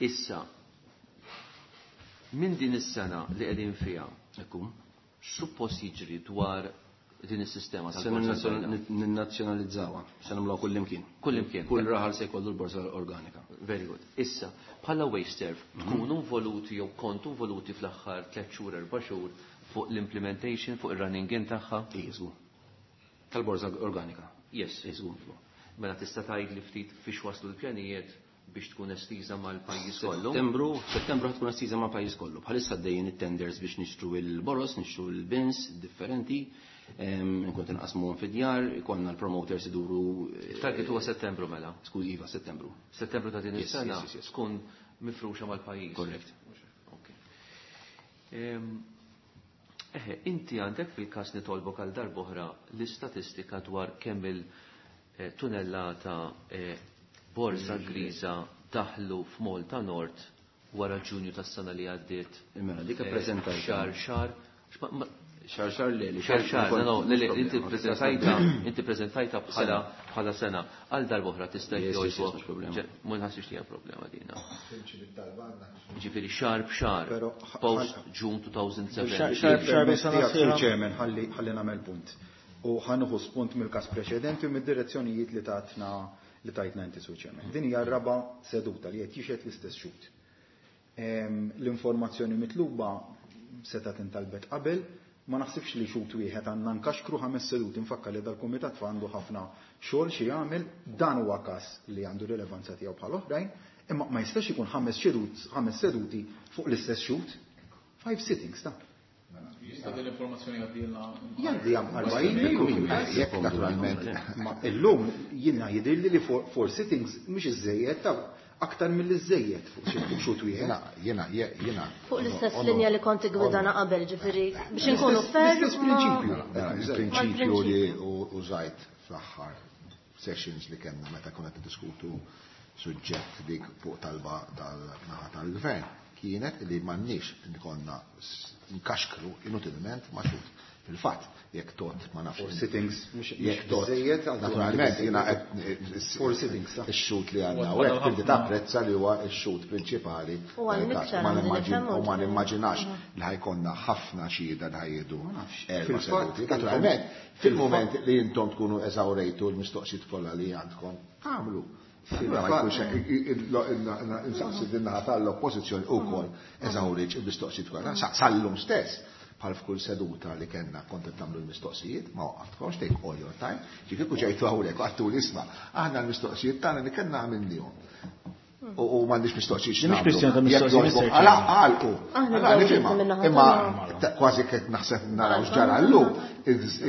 Issa, minn din is-sena li qegħdin fiha, Ekku. x'suppost jiġri dwar din is-sistema Se tal-borza l-bajda? ninnazzjonalizzawha, se nagħmluha kullimkien. Kullimkien. Kull raħal se jkollu l-borza organika. Very good. Issa, bħala WasteServ, tkunu involuti jew kontu involuti fl-aħħar 3 xhur, 4 xhur fuq l-implementation, fuq ir-running in tagħha? Iżgu. Tal-borza organika. Yes. Iżgu. Mela tista' tgħid li ftit fiex waslu l-pjanijiet biex tkun estiża mal-pajjiż kollu? Settembru, settembru tkun estiża ma' pajjiż kollu. Bħalissa għaddejjin it-tenders biex nixtru il-boros, nixtru il-bins differenti, nkun tinqasmuhom fid-djar, ikollna l-promoters iduru. Target huwa Settembru mela. Skuż, iva, Settembru. Settembru ta' din Yes, is-sena yes, yes, yes. tkun mifruxa mal-pajjiż. Correct. Okay. Eħe, inti għandek fil-każ nitolbok għal darb'oħra l-istatistika dwar kemm il-tunellata borza griża daħlu f'Malta Nord wara Ġunju tas-sena li għaddiet. Mela, dik ippreżentajta. Xahar, xahar. X'ma- ma- Xahar, xahar le, li Xahar, xahar, no, no, le, le, problema. inti preżentajta, inti preżentajta bħala sena. Għal darb'oħra tista' Yes, yes, yes, jogħġbok. mhux problema. Ma nħassix li hija problema dina. Ġifieri xahar b'xahar, Però, post June 2007. Xahar b'xahar Permess sena tiegħek, Sur sħiħa. Chairman, ħalli nagħmel punt. U ħanuħu spunt mill-każ preċedenti u mid-direzzjonijiet li tatna li tajtna inti, Sur Chairman. Din hija r-raba' seduta li qed jixhed l-istess xhud. L-informazzjoni mitluba seta' tintalbet qabel, ma naħsibx li xhud wieħed għandna nkaxkru 5 seduti. Nfakkar li dal-kumitat fa għandu ħafna xogħol xi jagħmel, dan huwa każ li għandu rilevanza tiegħu bħal oħrajn, imma ma jistax ikun 5 seduti fuq l-istess xhud. 5 sittings ta'. Jista' din l-informazzjoni għaddilna. Jgħaddi għam 40 minuti. Jekk naturalment. Ma illum jiena jidhirli li 4 sittings mhux iżejjed ta' aktar mill-iżejjed fuq xi xhud wieħed. Jiena, jiena, jiena. Fuq l-istess linja li kont gwidana qabel, ġifieri biex inkunu fair. L-istess prinċipju. Mela, il-prinċipju li użajt fl-aħħar sessions li kellna meta konna niddiskutu suġġett dik fuq talba tal-naħa tal-gvern kienet li m'għandniex nkonna nkaxkru inutilment ma' xhud. Fil-fatt, jekk tot ma nafx. 4 sittings, mhux Jekk tot, biżejjed, għal naturalment, jiena qed 4 sittings, sa. ix-xhud li għandna U u hekk għadha tibdi ħafna. tapprezza li huwa x-xhud prinċipali. U għal tal-każ. iktar Ma għandi nifhem u ma u nimmaġinax li ħajkonna ħafna xhieda li ħajjedu Ma nafx. erba' Fil-fatt, seduti. Naturalment, fil-moment li intom tkunu eżawrejtu l-mistoqsijiet kollha li għandkom, għamlu. Allura ma jkunx hekk, insaqsi din naħa tal-oppożizzjoni wkoll eżawriġ il-mistoqsijiet kollha. Sallum stess, bħal f'kull seduta li kellna kont qed tagħmlu l-mistoqsijiet, ma waqaftkomx, take all your time. Ġifieri kieku ġejtu hawnhekk u għattu l-isma', aħna l-mistoqsijiet tagħna li kellna għamilnihom. U m'għandix mistoqsijiet Mhix x'nagħmlu. kwistjoni ta' Jekk mistoqsijiet, jogħġbok, Mister għala, Chairman. għalqu. Aħna Għala, dawn nifhimha. minna ħadd Imma tagħna. kważi qed naħseb naraw x'ġara llum,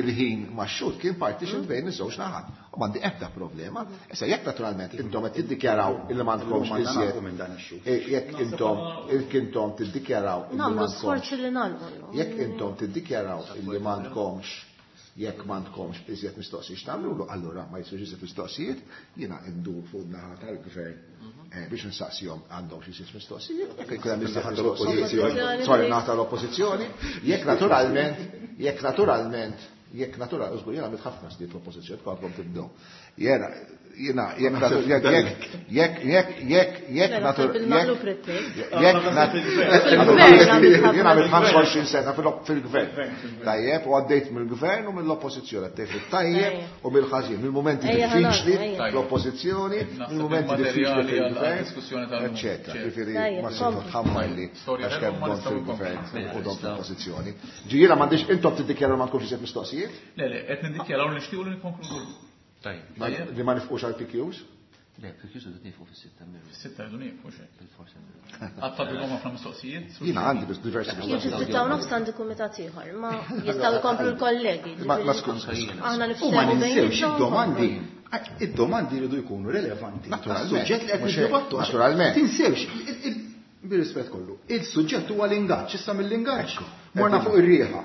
il-ħin max-xhud kien partition bejn iż-żewġ naħat. U m'għandi ebda problema. Issa jekk naturalment intom qed tiddikjaraw illi m'għandkomx Illum għandna iżjed. nafu minn dan ix-xhud. Jekk intom, jekk intom tiddikjaraw illi Nagħmlu m'għandkomx sforzi li nagħlqu llum. Jekk intom tiddikjaraw illi m'għandkomx, jekk m'għandkomx iżjed mistoqsijiet x'tagħmlu, allura ma jsirx iżjed mistoqsijiet, jiena ndur fuq naħa tal-gvern biex nsaqsihom għandhom xi iżjed mistoqsijiet, jekk ikun hemm iżjed mistoqsijiet, sorry, naħa tal-oppożizzjoni, jekk naturalment, jekk naturalment, jekk natural, użgur, jiena għamilt ħafna snin fl-oppożizzjoni, għadkom tibdew. Jiena, jiena, jekk natu-, jekk, jekk, jekk, jekk, jekk, jekk Mela, natur-, bil-maqlub jekk, rittik. jekk nat-, Fil-gvern għamilt ħafna jiena għamilt snin. 25 sena fil-gvern. Tajjeb, u għaddejt mill-gvern u mill-oppożizzjoni, għaddejt fit-tajjeb u mill-ħażin, mill-momenti Ejja, diffiċli ħalaq, ejja. fl-oppożizzjoni, Naħseb mill-momenti diffiċli il-materjali għal fil-gvern, diskussjoni tal-lum. eccetera. Ċert. Ġifieri, Tajjeb, ma sibtu kompli. tħammar li Storja għax tal-lum kemm ma dom nistgħu fil-gvern nkomplu. u dom fl-oppożizzjoni. Ġifieri m'għandix intom tiddikjaraw ma tkunx iżjed mistoqsijiet? Le, le, qed niddikjaraw li nixtiequ li nikkonkludu. Tajjeb. Li ma nifqux għal PQs? Le, PQs rridu nieqfu fis-sitta miru. Fis-sitta rridu nieqfu xejn. Bil-forsi. Għad ħafna mistoqsijiet. Jiena għandi biss diversi Jien mistoqsijiet. fis-sitta u nofs għandi kumitat ieħor, ma jistgħu jkomplu l-kollegi. Ma ġifieri skuż. Aħna U ma niftehmu ninsewx bejnietna. id-domandi. Id-domandi jridu jkunu relevanti. Naturalment. Suġġett li qed Mhux hekk, niddibattu. naturalment. Tinsewx, bir-rispett kollu, il-suġġett huwa l-ingaġġ, issa mill-ingaġġ. Morna fuq ir-rieħa.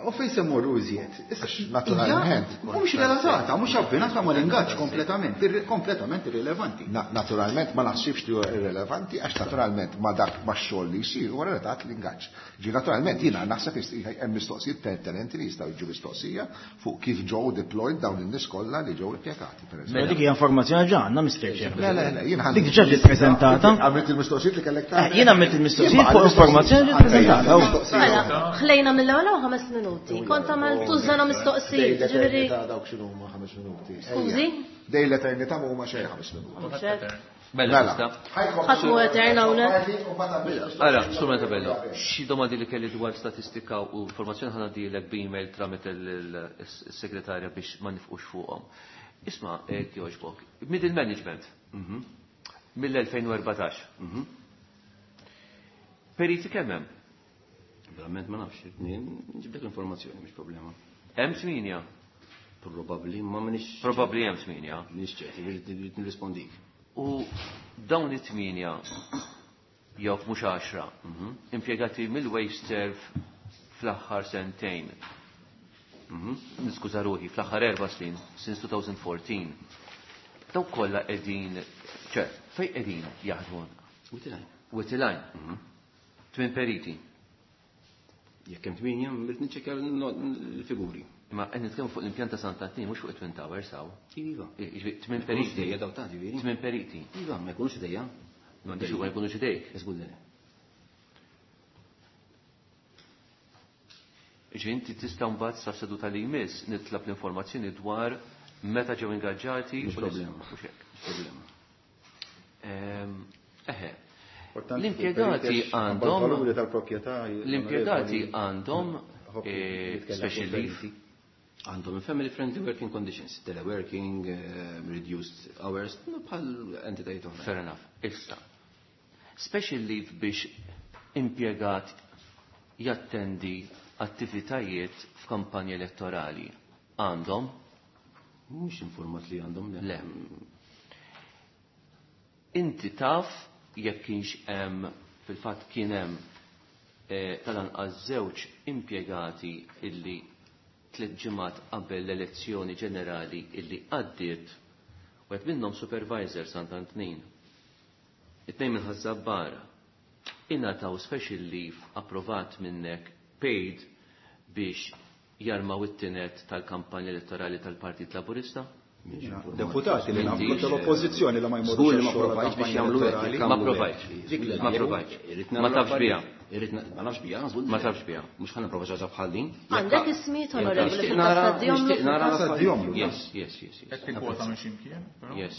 U fejn se mmorru iżjed? Issa Naturalment. Mhux relatata, mhux abbinata mal-ingaġġ kompletament, kompletament irrilevanti. Naturalment ma naħsibx li huwa irrilevanti għax naturalment ma dak ma xogħol li jsir huwa relatat l-ingaġġ. Ġi naturalment jiena naħseb hemm mistoqsijiet pertinenti li jistgħu jiġu mistoqsija fuq kif ġew deployed dawn in-nies kollha li ġew impjegati pereżempju. Mela dik hija informazzjoni ġa għandna Mr. Chairman. Le, le, le, jien Dik diġà ġiet preżentata. Għamilt il-mistoqsijiet li kellek tagħmel. Jien għamilt il-mistoqsijiet fuq informazzjoni ġiet preżentata. Mela, ħlejna mill-ewwel hawn 5 minuti. Kont għamilt tużana mistoqsijiet, ġifieri. Dawk x'inhu huma 5 minuti. Skużi? Dej l-eternità ma huma xejn 5 minuti. Mela, tista'. Ħadd mhu etern hawnhekk. Ara, Sur Montebello, xi domandi li kelli dwar statistika u informazzjoni ħa ngħaddilek b'email tramite l-segretarja biex ma nifqux fuqhom. Isma', jogħġbok, middle management mill-2014. Periti kemm hemm? Verament ma nafx, nġiblek l-informazzjoni, mhix problema. Hemm 8. Probabbli, ma minix. Probabbli hemm 8. Minix ċert, irrid nirrispondik. U dawn it-8 jew mhux 10 impjegati mill-WasteServ fl-aħħar sentejn. Niskuża ruħi, fl-aħħar 4 snin, since 2014. Daw kollha qegħdin, ċe, fejn qegħdin jaħdmu? Witilajn. Witilajn. 8 periti. Jekk hemm 8, irrid niċċekkja l-figuri. Ma qed nitkellmu fuq l-impjant ta' Sant'Antnin, mhux fuq it-Twin Towers hawn. Iva. Jiġifieri 8 Ma jkunux periti. idejja daw ta' ġifieri. 8 periti. Iva, ma jkunux idejja. Ma biex ma jkunux idejk. Żgur le. Ġifieri inti tista' mbagħad sa seduta li jmiss nitlab l-informazzjoni dwar meta ġew ingaġġati Mhux u problema. mhux hekk. Mhux problema. Eħe. Importanti L-impjegati fuq il-periti għax għandhom valuri tal-proprjetà L-impjegati għandhom Ħobbi jitkellem special fuq leave. il-periti. Għandhom family friendly working conditions, teleworking, reduced hours, bħal entitajiet oħra. Fair enough. Issa. Special leave biex impjegat jattendi attivitajiet f'kampanja elettorali. Għandhom? Mhux informat li għandhom, le. Le. Inti taf jekk kienx hemm fil-fatt kien hemm tal-anqas żewġ impjegati illi 3 ġimgħat qabel l-elezzjoni ġenerali illi għaddiet, u qed minnhom supervisor Sant'Antnin. It-tnejn minn Ħaż-Żabbar ingħataw special leave approvat minnek paid biex jarmaw it-tinet tal-kampanja elettorali tal-Partit Laburista? Deputati li nagħmlu M'intix. tal-oppożizzjoni li ma jmorrux Żgur li ma għax-xogħol provajtx biex tal-kampanja jagħmlu hekk, elettorali. jekk Ma għamlu hekk. provajtx. Dik li Ma jagħmlu. provajtx. Irrid Ma nagħmlu tafx affarijiet. biha. Irrid ma nafx biha, żgur li Ma le. tafx biha. Mhux ħa nipprova xi ħaġa bħal din. Għandek ismijiet onorevoli Nixtieq fil-każ nara- tad-Djomlu nixtieq nara fil-każ l-affarijiet. Djomlu. Yes, yes, yes, yes. Qed tikkwota minn x'imkien, però. Yes,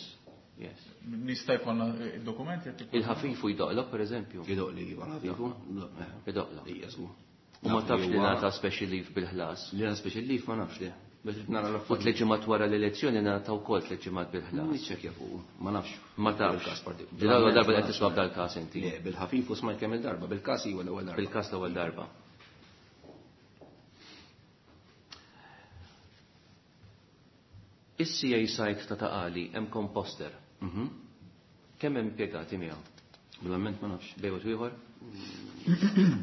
yes. Nista' jkollna id-dokumenti qed tikkwota. Il-ħafifu jdoqlok, per eżempju. Jidoqli, iva, l-ħafifu. Jidoqlok. Ija, żgur. U ma tafx li Huwa- ngħata special leave bil-ħlas. Li għana special leave ma nafx li. Biex irrid nara U l-affarijiet. 3 ġimgħat wara l-elezzjoni ngħata wkoll 3 ġimgħat bil-ħlas. Niċċekkja fuq, ma nafx. Ma tafx. Bil-każ partik- Di l-ewwel darba li qed tisma' b'dal-każ inti. Le, bil-ħafif u smajt kemm il-darba, bil-każ iwa l-ewwel darba. Bil-każ l-ewwel darba. Is-CA site ta' Taqali hemm composter. Kemm hemm impjegati miegħu? Verament ma nafx. Bejn u ieħor?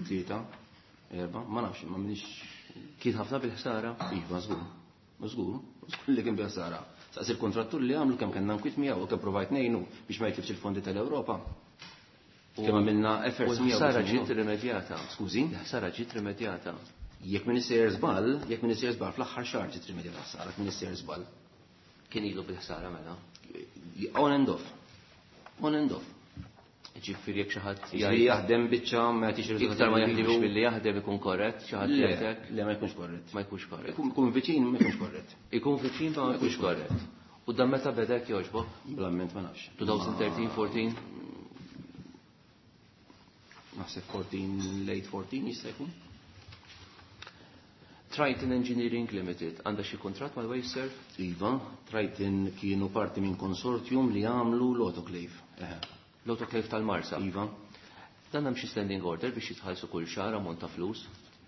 3, 4, ma nafx, ma minix. Kien ħafna bil-ħsara? Iva, żgur. Żgur, żgur li kien bil-ħsara. Saqs il-kontrattur li għamlu kemm kellna nkwit miegħu u kemm provajt ngħinu biex ma jitlifx il-fondi tal-Ewropa. Kemm għamilna efforts U miegħu l-ħsara biex ġiet ngħinu. rimedjata. Skużi? L-ħsara ġiet rimedjata. Jekk min isejjer żball, jekk min isejjer żball fl-aħħar xahar ġiet rimedjata l-ħsara, jekk min isejjer żball. Kien ilu bil-ħsara mela. On and off. On and off. Ġifieri jekk xi ħadd Ġifieri jaħdem biċċa ma jagħtix ir-riżultati Iktar ma li jaħdimx jridu. billi jaħdem ikun korrett, xi ħadd Le, jgħidlek? le, ma jkunx korrett. Ma jkunx korrett. Ikun viċin ma jkunx korrett. Ikun viċin ma jkunx korrett. U dan meta beda jekk jogħġbok? Blamment ma nafx. 2013, 14? Naħseb 14, late 14 jista' jkun. Triton Engineering Limited għandha xi kuntratt mal-WasteServ? Iva, Triton kienu parti minn konsortium li għamlu l-autoclave. Eħe. L-autoclave tal-Marsa. Iva. Dan hemm xi standing order biex jitħallsu kull xahar ammont ta' flus?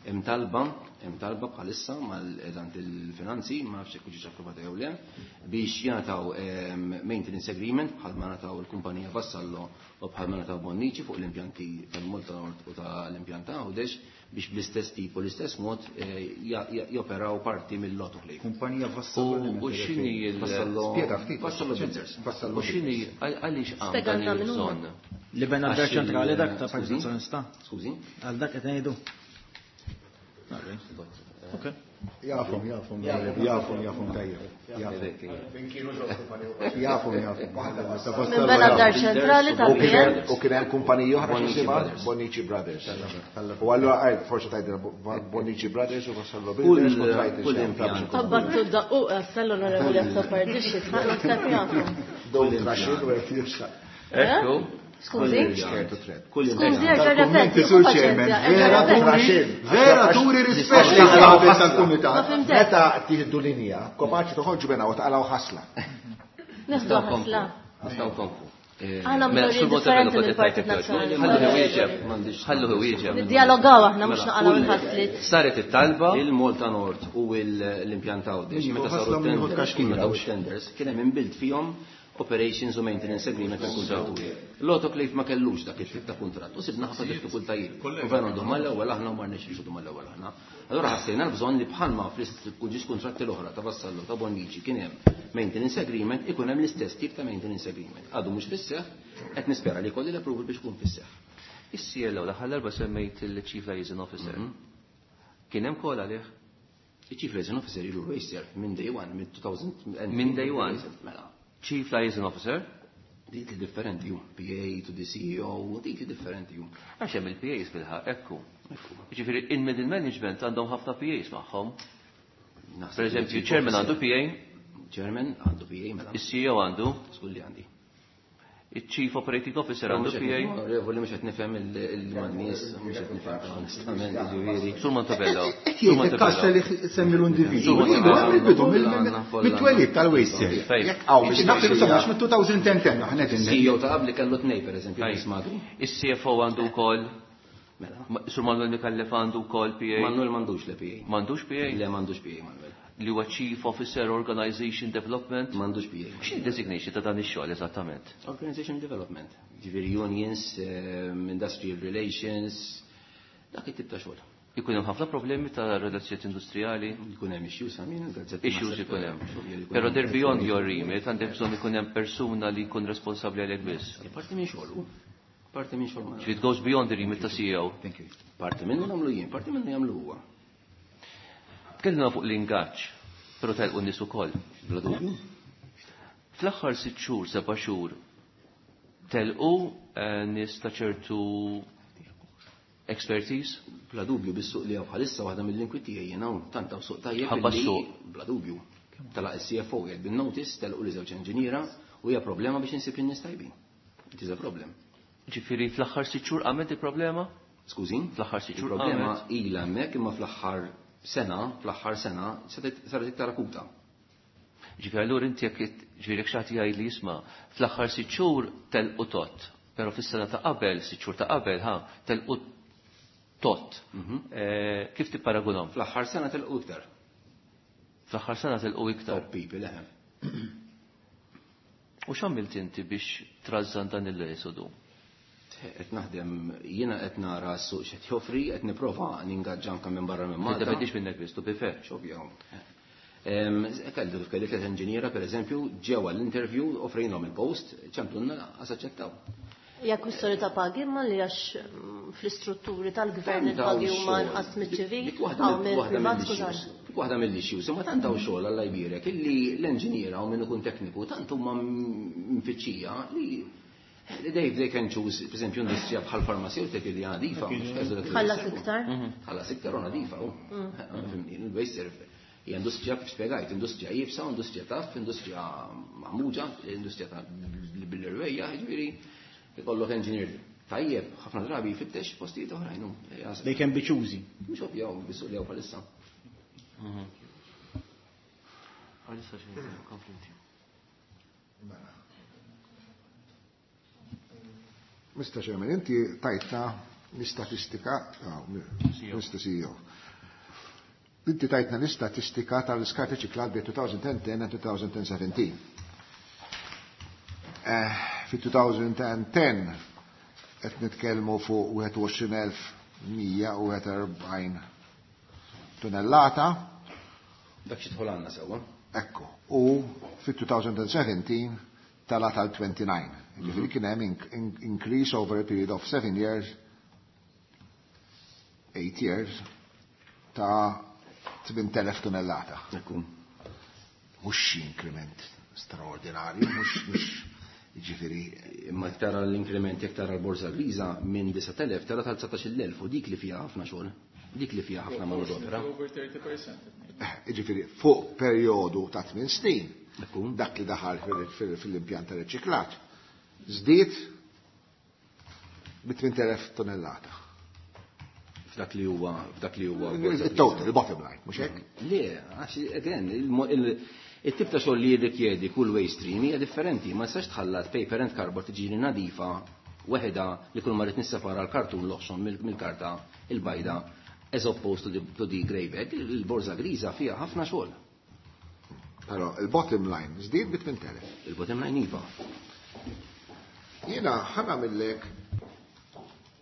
Hemm talba, hemm talba bħalissa mal-eżant il-finanzi, ma nafx jekk ġietx approvata jew le, biex jingħataw maintenance agreement bħalma ngħataw il-kumpanija Vassallo u bħalma ngħataw Bonnici fuq l-impjanti tal-Malta Nord u tal-impjant ta' Għawdex biex bl-istess tip u l-istess mod joperaw parti mill-autoclave. Kumpanija Vassallo. U x'inhi l- Vassallo. Spjega ftit. Vassallo Builders. Vassallo U x'inhi għaliex qam dan Spjegalna min huma. il-bżonn? Li bena d-dar Għax ċentrali dak ta' Partit Skużi? Nazzjonalista. Skużi? Għal dak qed ngħidu. Ok. Jafhom, jafhom, jafhom, jafhom tajjeb. Jafhom, jafhom. Minn bena d-dar ċentrali tal-PN. U kien hemm kumpaniji oħra Bonnici x'jisimha? Brothers. Bonnici Brothers. U allura għaj, forsi tgħidilna Bonnici Brothers u Vassallo Builders u trajt Kull impjant. Tabbattu d-daqquq għas l-onorevoli Azzopardi xi tħaq naħseb jafhom. Don't rush in where you start. Ekku. Skużi? Scared to tread. Kull Skużi, impjant. erġa' repeti, Kummenti sur chairman, vera turi, vera turi rispett tal tal-kumitat. Ma fimtek. Meta tieħdu linja, kopaċi toħorġu bena u taqalgħu ħasla. Neħdu ħasla. Nistgħu nkomplu. Aħna Mela, mdorrijin Sur Montebello differenti kont qed mill-Partit tgħid Nazzjonali. Ħallu wieġeb, ħallu wieġeb. Niddialogaw aħna mhux Mela, naqalgħu l-ħasliet. Saret it-talba, Il-Malta Nord u l-impjant Għawdex, Iva, meta saru ħasla minn tenders, kaxkira, meta hux. tenders, kien hemm inbilt fihom operations u maintenance agreement tal kuntratturi. L-autoclave ma kellux dak it-tip ta' kuntratt u sibna ħafna diffikultajiet. U vera ndu mal-ewwel aħna u ma rnexxiex ndu mal-ewwel aħna. Allura ħassejna l-bżonn li bħalma fl-ġiex kuntratti l-oħra ta' Vassallo ta' Bonnici kien hemm maintenance agreement ikun hemm l-istess tip ta' maintenance agreement. Għadu mhux fis-seħħ, qed nispera li jkolli l-approval biex ikun fis-seħħ. is-CLO l-aħħar darba semmejt il-Chief Liaison Officer. Kien hemm kol għalih? Il-Chief Liaison Officer ilu Waster minn day one, minn 2000. Minn day one? Mela. Chief Liaison Officer? Titli differenti ju, PA to the CEO, titli differenti ju. Għax hemm il-PAs bil-ħaq, ekku. Ġifieri in-middle management għandhom ħafna PAs magħhom. Naħseb Per eżempju, li chief chairman officer- għandu PA, Chairman għandu PA, mela. is-CEO għandu, Skulli li għandi. il-Chief Operating Officer għandu PA. Onorevoli, mhux qed nifhem il-man-nies, mhux qed nifhem onestament, ġifieri. Sur Montebello. Qed Sur jgħid Montebello. il-kas li semmi l-individwu. Sur Montebello. Mill-bidu, mit-twelid tal-Waster. Fejn? Jekk hawn Nafsi mistoqsija. għax mit-2010 aħna qed CEO ta' qabli kellu tnej, per eżempju, Ajj. Chris Magri. Is-CFO għandu wkoll, Mela. Sur Manuel Mikallef għandu wkoll PA. Manuel m'għandux le PA. M'għandux PA? Le m'għandux PA, Manuel. Li huwa Chief Officer Organization Development. M'għandux PA. X'in designation ta' dan ix-xogħol eżattament? Organization Development. Ġifieri unions, industrial relations, dak it-tip ta' xogħol. Ikun hemm ħafna problemi ta' relazzjonijiet industrijali, Jkun hemm issues għamin, gazzetti issues naħseb, ikun hemm. xogħol jkun Però hemm. they're beyond your remit, għandek bżonn ikun hemm persuna li jkun responsabbli għalek biss. Parti minn xogħol, u. Parti minn xogħol. Ġifieri it goes beyond the remit ta' CEO. Thank you. Parti minnu nagħmlu jien, parti minnu jagħmlu huwa. Tkellimna fuq l-ingaġġ, però telqu n-nies ukoll. Bla dubju. Fl-aħħar sitt xhur, seba' xhur, telqu nies ta' ċertu expertise? Bla dubju bis-suq li hawn bħalissa waħda mill-inkwiet tiegħi jien hawn tant hawn suq tajjeb. Ħabba illi- s-suq. Bla dubju. Telaq is-CFO jgħid bin-notice, telqu li żewġ inġiniera u hija problema biex insib in-nies tajbin. It is a problem. Ġifieri fl-aħħar sitt xhur qamet il-problema? Skużin? Fl-aħħar sitt xhur Il-problema qamet. ilha hemmhekk imma fl-aħħar sena, fl-aħħar sena saret iktar akuta. Ġifieri allura inti jekk ġifieri jekk xi ħadd jgħid li jisma' fl-aħħar sitt xhur telqu tot, però fis-sena ta' qabel, sitt xhur ta' qabel, ha, telqu tot. Kif tipparagunhom? Fl-aħħar sena telqu iktar. Fl-aħħar sena telqu iktar. Top people eħe. U x'għamilt inti biex trażżan dan il-esodu? Qed naħdem jiena qed nara s-suq x'qed joffri, qed nipprova ningaġġa anke minn barra minn Malta. Tiddependi minnek biss, to be fair. Xovja. Kellu kelli tliet inġiniera pereżempju ġew għall-interview offrejnhom il-post, ċemplunna qas aċċettaw. Hija kwistjoni ta' pagi imma li għax fl-istrutturi tal-gvern il-pagi huma inqas miċ-ċivil Dik waħda hawn mill-privat mill-issues. skużani. Dik waħda mill-issues, imma tant hawn xogħol Alla jbierek illi l-enġiniera u min ikun tekniku tant huma mfittxija li li they can choose, per esempio, industrija bħal farmaceutik li nadifa, mhux każu dak li Tħallas jisseħħu. iktar. Tħallas iktar u nadifa, u. Fimni, il-waste hija industrija kif spjegajt, industrija jibsa, industrija taf, industrija maħmuġa, industrija ta' bil-irwejja, jiġifieri ikollok engineer tajjeb, ħafna drabi jfittex postijiet oħrajn. hu. They can be choosy. Mhux ovvja bis-suq li hawn bħalissa. Għalissa xejn, konflitti. Mr. Chairman, inti tajtna l-istatistika, Mr. CEO, Inti tajtna l-istatistika tal-iskart riċiklat bejn 2010 and 2017. Fi 2010 qed nitkellmu fuq 21,141 tonnellata. Dak xi dħol għandna sewwa. Ekku. U fi 2017 tala tal-29. Ġifieri kien hemm increase over a period of 7 years, 8 years, ta' 8,000 tonnellata. Ekku. Mhux xi increment straordinarju, mhux ġifieri. Imma tara l-inkrement jekk tara l-borża griża minn 9,000 tara tal-19,000 u dik li fiha ħafna xogħol. Dik li fiha ħafna manodopera. Over 30%. Ġifieri fuq perjodu ta' 8 snin, dak li daħal fil-impjant ta' riċiklaġġ, żdied bi 8,000 tonnellata. F'dak li huwa, f'dak li huwa Il-total, il-bottom line, mhux hekk? Le, għax again, il-tip ta' xogħol li jirrikjedi kull waste stream hija differenti, ma nistax tħallat paper and cardboard tiġini nadifa weħda li kull ma rrid nissepara l-kartun l-oħxon mill-karta il-bajda as opposed to the grey bag, il-borża griża fiha ħafna xogħol. Però il-bottom line żdied bi 8,000. Il-bottom line iva. Jiena ħa nagħmillek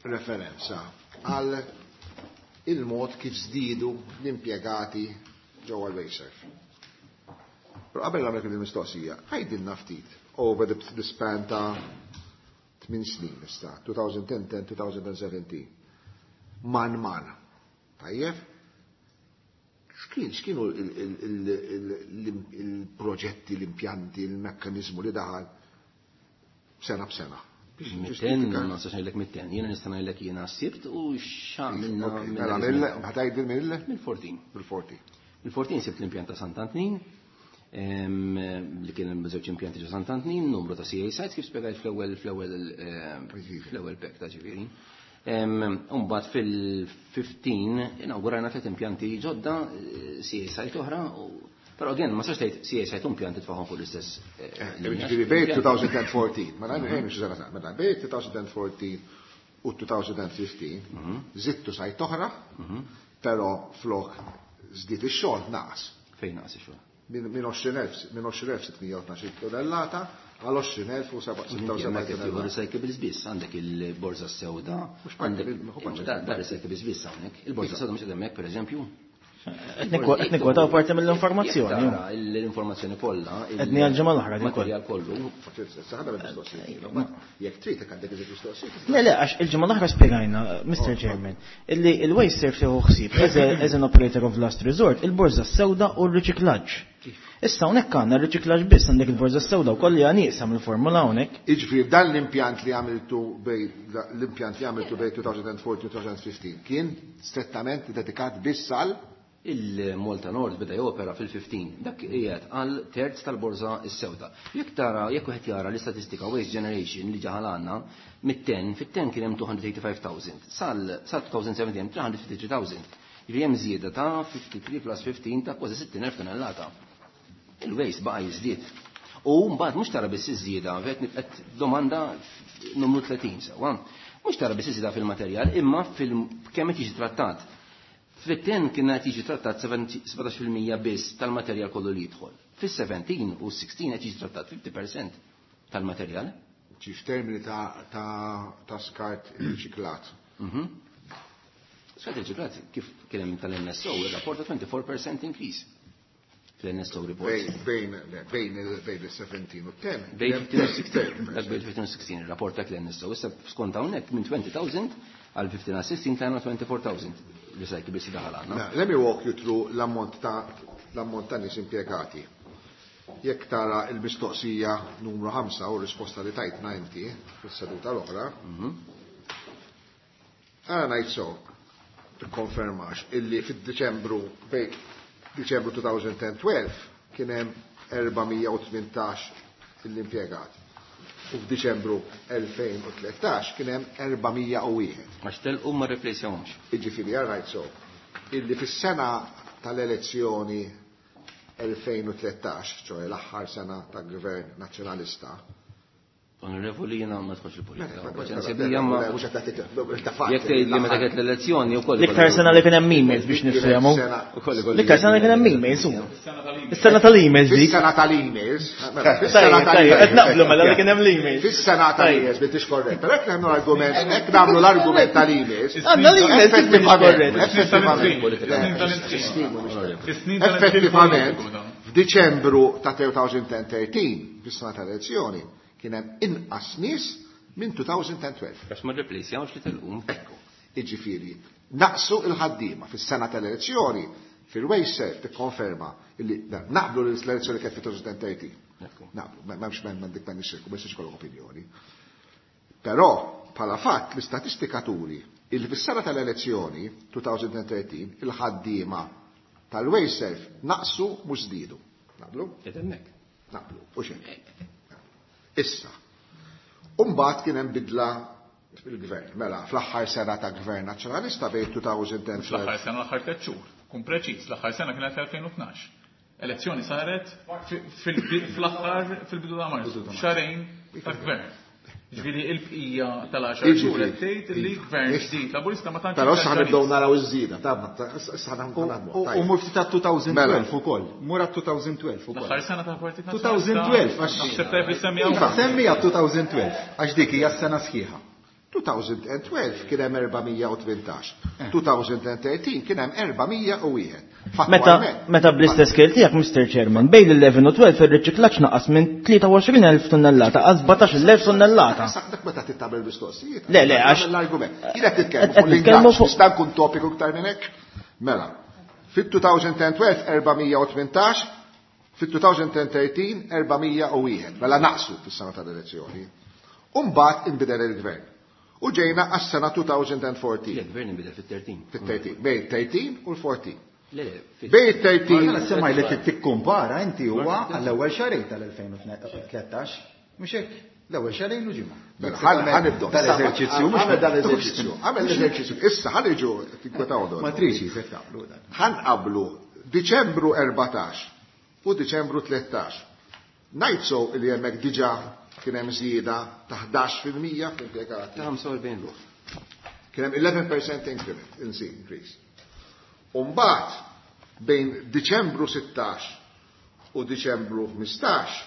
referenza għal il-mod kif żdiedu l-impjegati ġewwa l-WasteServ. Però qabel nagħmel il-mistoqsija, għidilna ftit over the span ta' 8 snin issa, 2010-2017. Man man. Tajjeb? X'kienu il-proġetti, l-impjanti, il-mekkanizmu li daħal sena b'sena? Mitten, ma nistax ngħidlek mitten, jiena nista' ngħidlek jiena sibt u x'għamilna Ok, mela mill, ħa tgħidli mill? Mill-14. Mill-14. Mill-14 sibt l-impjant ta' Sant'Antnin, li kien hemm żewġ impjanti ġo Sant'Antnin, numru ta' CA sites kif spjegajt fl-ewwel pack ta' ġifieri. Mbagħad fil-15 inawgurajna tliet impjanti ġodda, CA site oħra, però again ma sax tgħid CA site impjanti tfaħħom fuq l-istess linja. Ġifieri bejn 2014, ma nagħmel xi sena, mela bejn 2014 u 2015 żidtu site oħra, però flok żdied ix-xogħol naqas. Fejn naqas ix-xogħol? Minn 20,612 tonnellata għal għoxrin elf u seba' sitta u sebgħin Hemmhekk qed tieħu tonnellata. recyclables biss, għandek il-borża sewda, Mhux parti għandek mill-, mhux parti da recyclables biss hawnhekk. Il-borża sewda mhux qed hemmhekk pereżempju. Qed nikkwota parti mill-informazzjoni. Jekk tara l-informazzjoni kollha, Qed ngħid ġimgħa l-oħra din kollha. materjal kollu. Jekk trid hekk għandek iżjed mistoqsijiet. Le, le, għax il-ġimgħa l-oħra spjegajna, Mr. Chairman, illi il-WasteServ tieħu ħsieb as an operator of last resort, il-borża sewda u l-riċiklaġġ. Issa hawnhekk għandna r-riċiklaġġ biss, għandek il-borża sewda wkoll li nieqsa mill-formula hawnhekk. Jiġifieri dan l-impjant li għamiltu bej l-impjant li għamiltu bej 2014 u 2015 kien strettament dedikat biss għal il-Malta Nord beda jopera fil-15, dak qiegħed għal terz tal-borża s-sewda. Jekk tara, jekk wieħed jara l-istatistika Waste Generation li ġaħal għandna, mit-10, fit-10 kien hemm 285,000, sal 2017 hemm 353,000. Jiġifieri hemm żieda ta' 53 plus 15 ta' kważi 60,000 tonnellata. Il-waste baqa' jiżdied. U mbagħad mhux tara biss iż-żieda, qed domanda numru 30 sewwa. Mhux tara biss iż-żieda fil-materjal, imma fil kemm qed jiġi trattat. Fit-10 kien qed jiġi trattat 17% biss tal-materjal kollu li jidħol. Fis-17 u 16 qed jiġi trattat 50% tal-materjal. Ġi f'termini ta' skart riċiklat. Skart riċiklat kif kien hemm tal-NSO, ir-rapport ta' 24% increase. Fl-NSO report. Bejn il-17 u 10. Bejn 15 u 16. Dak bejn 15 u 16, il-rapport ta' l-NSO. Issa skont hawnhekk minn 20,000 għal 15 għal 16 tlajna 24,000 recyclables daħal għandna. Now, let me walk you through l-ammont ta' nies impjegati. Jekk tara il-mistoqsija numru 5 u risposta li tajt 90 fis-seduta l-oħra, għara ngħid so, tikkonfermax illi fid-Diċembru bejn Diċembru 2012 kien hemm 418 l-impjegat. U f'Diċembru 2013 kien hemm 401. Għax telqu ma rreplacjahomx. Jiġifieri għara ngħid so, illi fis-sena tal-elezzjoni 2013, ċoħe l-aħħar sena ta' Gvern Nazzjonalista, Onorevoli, jiena ma tħoċ il-politika. Jekk tgħid li meta kienet l-elezzjoni wkoll. L-iktar sena li kien hemm emails biex nifhemu. L-iktar sena li kien hemm emails hu. Is-sena tal-emails dik. Is-sena tal-emails. Qed naqblu mela li kien hemm l-emails. Fis-sena tal-emails biex korrett. Però hekk nagħmlu l-argument, hekk nagħmlu l-argument tal-emails. Għandna l-emails effettivament. Effettivament, f'Diċembru ta' 2013, fis-sena tal-elezzjoni, kien hemm inqas nies minn 2012. Għax ma rreplejsjawx li telqu. Ekku, jiġifieri, naqsu l-ħaddiema fis-sena tal-elezzjoni fil-Wasteserv tikkonferma li naqblu li l-elezzjoni kienet fi 2013. Naqblu, m'hemmx m'hemm dik ma nixxirku, ma jistax ikollok opinjoni. Però, bħala fatt, l-istatistika turi illi fis-sena tal-elezzjoni 2013 il-ħaddiema tal-Wasteserv naqsu mhux żdiedu. Naqblu? Naqblu, u xejn. Issa. Umbagħad kien hemm bidla fil-gvern. Mela, fl-aħħar sena ta' gvern nazzjonalista bejn 2010 Fl-aħħar sena l-aħħar tliet xhur. Kun preċiż, l-aħħar sena kienet 2012. Elezzjoni saret fl-aħħar fil-bidu ta' Marzu, xahrejn ta' gvern. Ġifieri il-bqija tal-10 xhur qed tgħid li gvern ġdid Laburista ma tantx. Però issa nibdew naraw iż-żieda, ta' issa naħdmu. U mur ftit għat-2012 ukoll. Mur għat-2012 ukoll. L-aħħar sena tal-Partit Nazzjonalista. 2012 għax naħseb tajb issemmi hawn. Semmi 2012 għax dik hija s-sena sħiħa. 2012 kien hemm 418. 2013 kien hemm 401. Meta meta bl-istess scale tiegħek Mr. Chairman, bejn l-11 u 12 ir-riċiklaġġ naqas minn 23,000 tonnellata għal 17,000 tonnellata. Dak meta tittabel mistoqsijiet. Le, le, għax l-argument. Jien qed titkellmu fuq l-ingaġġ, nista' nkun topiku iktar minn hekk? Mela, fit-2012 418, fit-2013 401. Mela naqsu fis-sena tal-elezzjoni. U mbagħad inbidel il-gvern. U ġejna għas-sena 2014. Il-gvern inbidel fit-13. Fit-13, bejn 13 u l-14. Le, le, Bejn 13. Ma semmaj li tikkumpara inti huwa għall-ewwel xahrejn tal-2013. Mhux hekk, l-ewwel xahrejn u ġimgħa. Mela, ħanibdew. Dal-eżerċizzju mhux Għamel dal-eżerċizzju. Għamel l-eżerċizzju. Issa ħaniġu tinkwetaw dwar. Ma trixi se taqblu dan. Ħanqablu Diċembru 14 u Diċembru 13. Ngħid so li hemmhekk diġà kien hemm żieda ta' 11% fl-impjegati. Ta' 45 ruħ. Kien hemm 11% increment, increase. U mbagħad bejn Diċembru 16 u Diċembru 15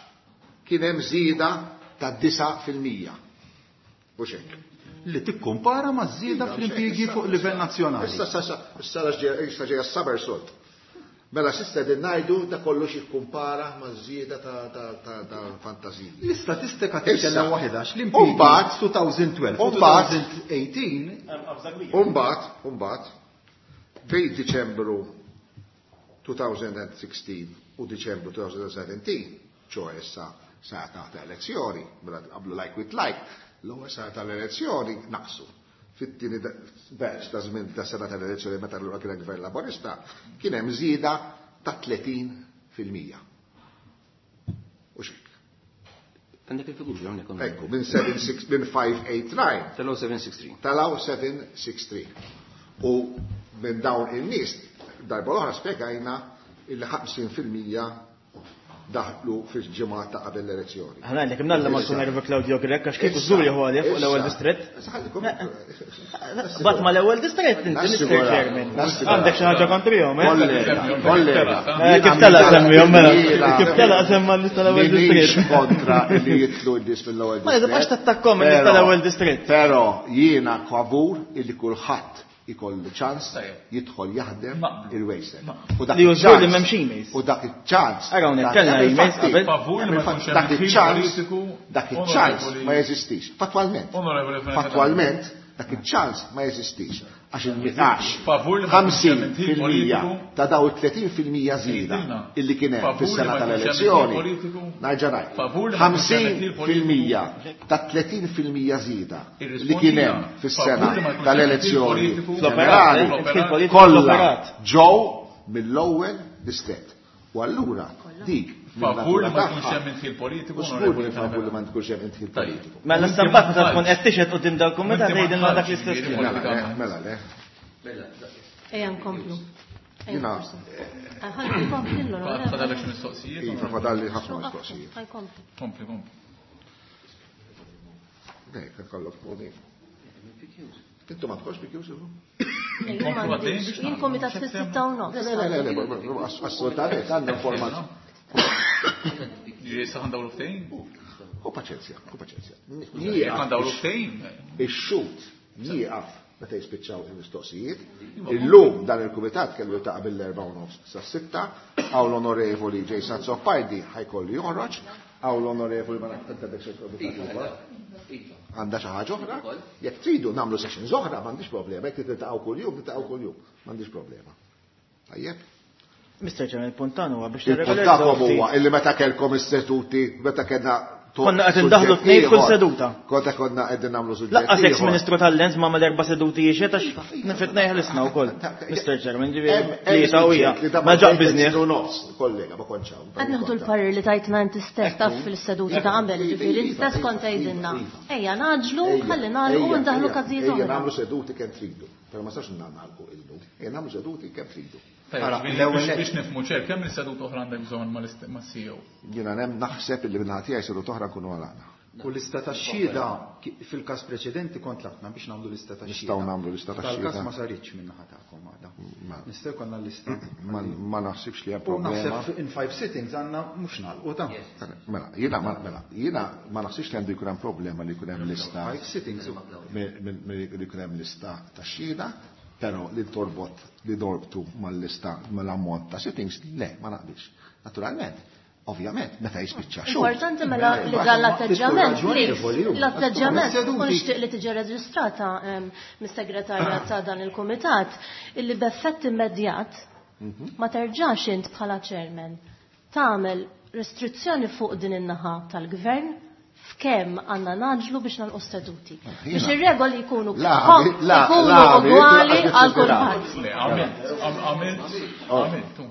kien hemm żieda ta' 9%. Mhux hekk. Li tikkumpara ma' żieda fl-impjiegi fuq livell nazzjonali. Issa issa issa ġejja s-saber sod. Mela s'issa qegħdin ngħidu da kollox jikkumpara ma' żieda ta' fantazija. L-istatistika titkellem waħedha għax l-impjiegi 2012 u 2018. Umbagħad, umbagħad, bejn Diċembru 2016 u Diċembru 2017, ċoħe issa sena ta' elezzjoni, mela qablu like with like, l-ewwel sena tal-elezzjoni naqsu. Fit-tieni batch ta' żmien ta' sena tal-elezzjoni meta allura kien gvern Laburista, kien hemm żieda ta' 30%. U xek. Għandek il-figuri hawnhekk. Ekku, minn 76 minn 589. Talaw 763. Talaw 763. U minn dawn in-nies darba l-oħra spjegajna il 50% daħlu fil-ġimgħa ta' qabel l-elezzjoni. Ħana għandek imnalla ma tkun nervu Claudio Grech għax kieku żur jieħu għalih fuq l-ewwel distrett. Bat ma l-ewwel distrett inti Mr. Chairman. Għandek xi ħaġa kontrihom, eh? Kollega. Kif telaq semmihom mela? Kif telaq semma n-nies tal-ewwel distrett? kontra li jitlu n-nies mill-ewwel Ma tibqax tattakkom in-nies tal-ewwel distrett. Però jiena favur illi kulħadd ikollu ċans jidħol jaħdem il-Wasteserv. Li jużgur li m'hemmx emails. U dak iċ-ċans. Ara hawnhekk kellna emails qabel. Dak iċ-ċans dak iċ-ċans ma jeżistix. Fatwalment. Fatwalment dak iċ-ċans ma jeżistix. Għax il-miqax 50% ta' daw 30% żieda illi kien hemm fis-sena tal-elezzjoni. Narġa' ngħid. 50% ta' 30% żieda li kien hemm fis-sena tal-elezzjoni ġenerali kollha ġew mill-ewwel distrett. U allura dik Favur li ma jkunx hemm indħil politiku. Żgur li favur li ma jkunx hemm indħil politiku. Mela stampat meta tkun qed tixhed quddiem dal-kumitat tgħidilna dak l-istess kliem. Mela le. Ejja nkomplu. Jiena. Ħalli nkompli l Fadalek xi mistoqsijiet? Iva, fadalli ħafna mistoqsijiet. Kompli, kompli. Ne, kollok poni. Intu ma tkox PQs illum? Jien komitat fis-6:30. Le, le, le, le, assolutament, għandna informazzjoni. Ġifieri sa ħandawlu ftehim? U paċenzja, u paċenzja. Jekk ħandawlu ftehim. Ix-xut jieqaf meta jispiċċaw il-mistoqsijiet. Illum dan il-kumitat kellu jiltaqa' mill-4:30 sas-6, hawn l-Onorevoli Jason Azzopardi ħajkollu joħroġ, hawn l-Onorevoli ma nafx għandek xi Għandha xi ħaġa oħra? Jekk tridu nagħmlu sessions oħra m'għandix problema, jekk tiltaqgħu kuljum, tiltaqgħu kuljum, m'għandix problema. Tajjeb? Mr. Chairman, il-punt tagħna huwa biex Il-punt tagħkom huwa illi meta kellkom is-seduti, meta kellna Konna qed indaħlu tnejn kull seduta. Konna konna qegħdin nagħmlu suġġett. Laqqas ex Ministru tal-Lens ma għamel erba' seduti jiexed għax nifitna jeħlisna wkoll. Mr. Chairman, ġifieri tlieta u hija. Ma ġaq biżnieh. Nofs, kollega, ma kontx hawn. Qed nieħdu l-parir li tajtna inti stess taf fil-seduti ta' qabel, ġifieri inti stess kont tgħidilna. Ejja naġlu, ħalli nagħlqu u ndaħlu każijiet Ejja oħra. nagħmlu seduti kemm tridu. Però ma sax nagħlqu illum. Ejja nagħmlu seduti kemm tridu. Ara, biex nifhmu ċer, kemm il-seduta oħra għandek bżonn mas-CEO? Jiena nem naħseb illi minn tiegħi seduta oħra nkunu għalaqna. U lista ta' xhieda fil-każ preċedenti kont tlabna biex nagħmlu lista ta' xhieda. Nistgħu nagħmlu lista ta' Dal-każ xhieda. ma saritx minn naħa tagħkom għadha. Nistgħu jkollna lista. Ma naħsibx li hemm U problema. naħseb in five sittings għandna mhux nagħlqu ta' Mela, jiena ma mela, jiena ma naħsibx li għandu jkun hemm problema li jkun hemm lista. Five sittings. Li jkun hemm lista ta' xhieda, però li torbot li dorbtu mal-lista mal-ammont ta' sittings, le, ma naqbilx. Naturalment, ovvjament, meta jispiċċa xogħol. Importanti mela li dan l-atteġġjament, please, l-atteġġjament u nixtieq li tiġi reġistrata mis-segretarja ta' dan il-kumitat illi b'effett immedjat ma terġax int bħala chairman tagħmel restrizzjoni fuq din in-naħa tal-gvern f'kemm għandna naġlu biex nagħlqu seduti. Biex ir-regoli jkunu jkunu ugwali għal kulħadd. Le, għamilt, għamilt, għamilt.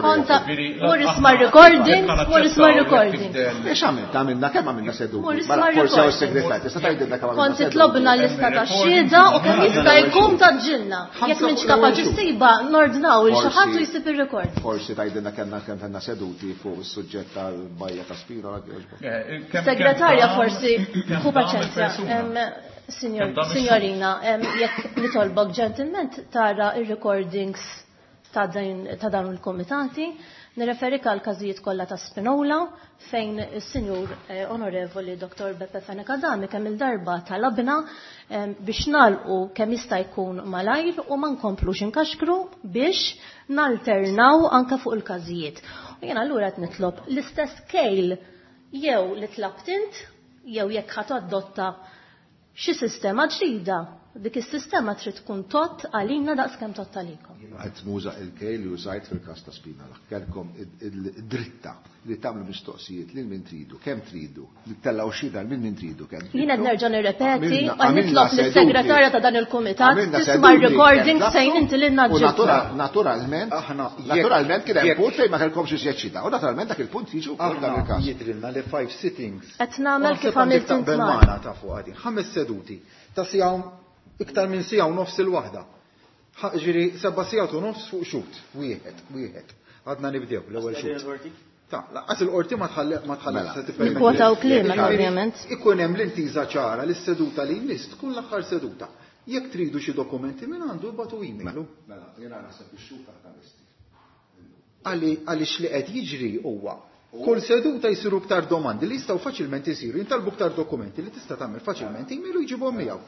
Konta, mur isma' recording, mur isma' recording. Biex għamilt, għamilna kemm għamilna seduti. Mur isma' Mela, forsi hawn recording. is-segretarju, tista' tgħidilna kemm għamilna Kont seduti. titlobna lista ta' xhieda u kemm jista' jkun ta' ġilna. Jekk m'intx kapaċi ssiba nordnaw il xi ħadd u jsib ir-rekord. Forsi tgħidilna kellna kemm kellna seduti fuq is-suġġett tal-bajja ta' Spinola jogħġbok. Segretarja forsi, hu paċenzja. Signorina, jekk nitolbok ġentilment tara ir-recordings ta' dawn il-komitati, nirreferik għal każijiet kollha ta' Spinola fejn is-Sinjur Onorevoli Dr. Beppe Fenech Adami kemm il-darba talabna biex nagħlqu kemm jista' jkun malajr u ma nkomplux inkaxkru biex nalternaw anke fuq il-każijiet. U jiena allura qed nitlob l-istess kejl jew li tlabt int jew jekk ħadd adotta xi sistema ġdida. Dik is-sistema trid tkun tott għalina daqs kemm tott għalikom. Qed nuża il-kejl li użajt fil-każ ta' Spinola. Kellkom id-dritta li tagħmlu mistoqsijiet lil min tridu, kemm tridu, li tellgħu xhieda lil min tridu kemm tridu. Jiena qed nerġa' nirrepeti, Għamilna- u nitlob għamilna lis-segretarja seduti. ta' dan il-kumitat Għamilna tisma' seduti, recording kemm fejn inti lilna U ġibna. naturalment, naturalment kien hemm punt fejn ma kellkomx iżjed xhieda. U naturalment dak il-punt jiġu wkoll dan Aħna il-każ. jidrilna li five sittings. Qed nagħmel kif Naħseb għandek għamilt int taqbel magħna. magħna ta' fuq għadin. 5 seduti ta' siegħa iktar minn siegħa u nofs il-waħda. Ġifieri 7 sigħat u nofs fuq xut, wieħed, wieħed. Għadna nibdew l-ewwel xut. Ta' laqas il-qorti ma tħalli ma tħalli Mela. se tippermetti. Nikkwotaw kliemek, Ġifieri, ovvjament. Ikun hemm l-intiża ċara li s-seduta li jmiss tkun l-aħħar seduta. Jekk tridu xi dokumenti minn għandu ibatu email. Mela, jiena naħseb ix-xut aħna lesti. Għaliex li qed jiġri huwa kull seduta jsiru iktar domandi li jistgħu faċilment isiru, jintalbu iktar dokumenti li tista' tagħmel faċilment email u jġibhom miegħu.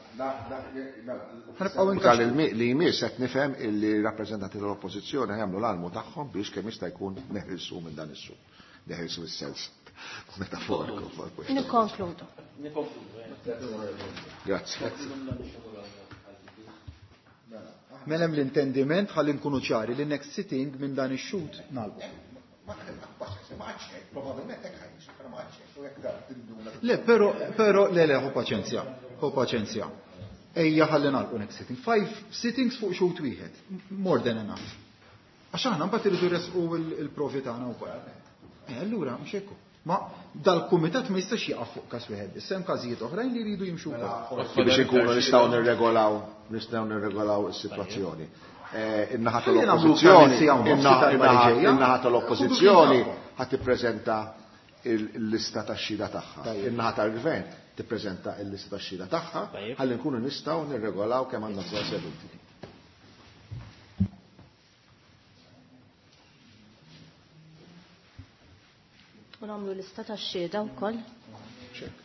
Ħanibqgħu Tal li jmiss qed nifhem illi rappreżentanti tal-Oppożizzjoni jagħmlu l-almu tagħhom biex kemm jista' jkun neħilsu minn dan is-suq. Neħilsu is-sens metaforiku. Nikkonkludu. Grazzi. Mela hemm l-intendiment ħalli nkunu ċari li next sitting minn dan ix-xut nagħlqu. Le, però, però, le, le, ħu paċenzja, ħu paċenzja. Ejja ħalli nagħlqu next sitting. 5 sittings fuq xut wieħed, more than enough. Għax aħna mbagħad irridu resqu il-provi tagħna wkoll. Allura mhux hekk. Ma dal-kumitat ma jistax jaqaf fuq każ wieħed biss, hemm każijiet oħrajn li jridu jimxu wkoll. Biex inkunu nistgħu nirregolaw, nistgħu nirregolaw is-sitwazzjoni. In-naħa Ħalli nagħmlu tal-Oppożizzjoni, siegħa u nofs darba li ġejja. in-naħa tal-Oppożizzjoni ħadd tippreżenta il-lista tax-xhieda tagħha. In-naħa tal-Gvern tippreżenta l-lista tax-xhieda tagħha ħalli nkunu nistgħu nirregolaw kemm għandna bżonn seduti. U nagħmlu lista tax-xhieda wkoll. Check.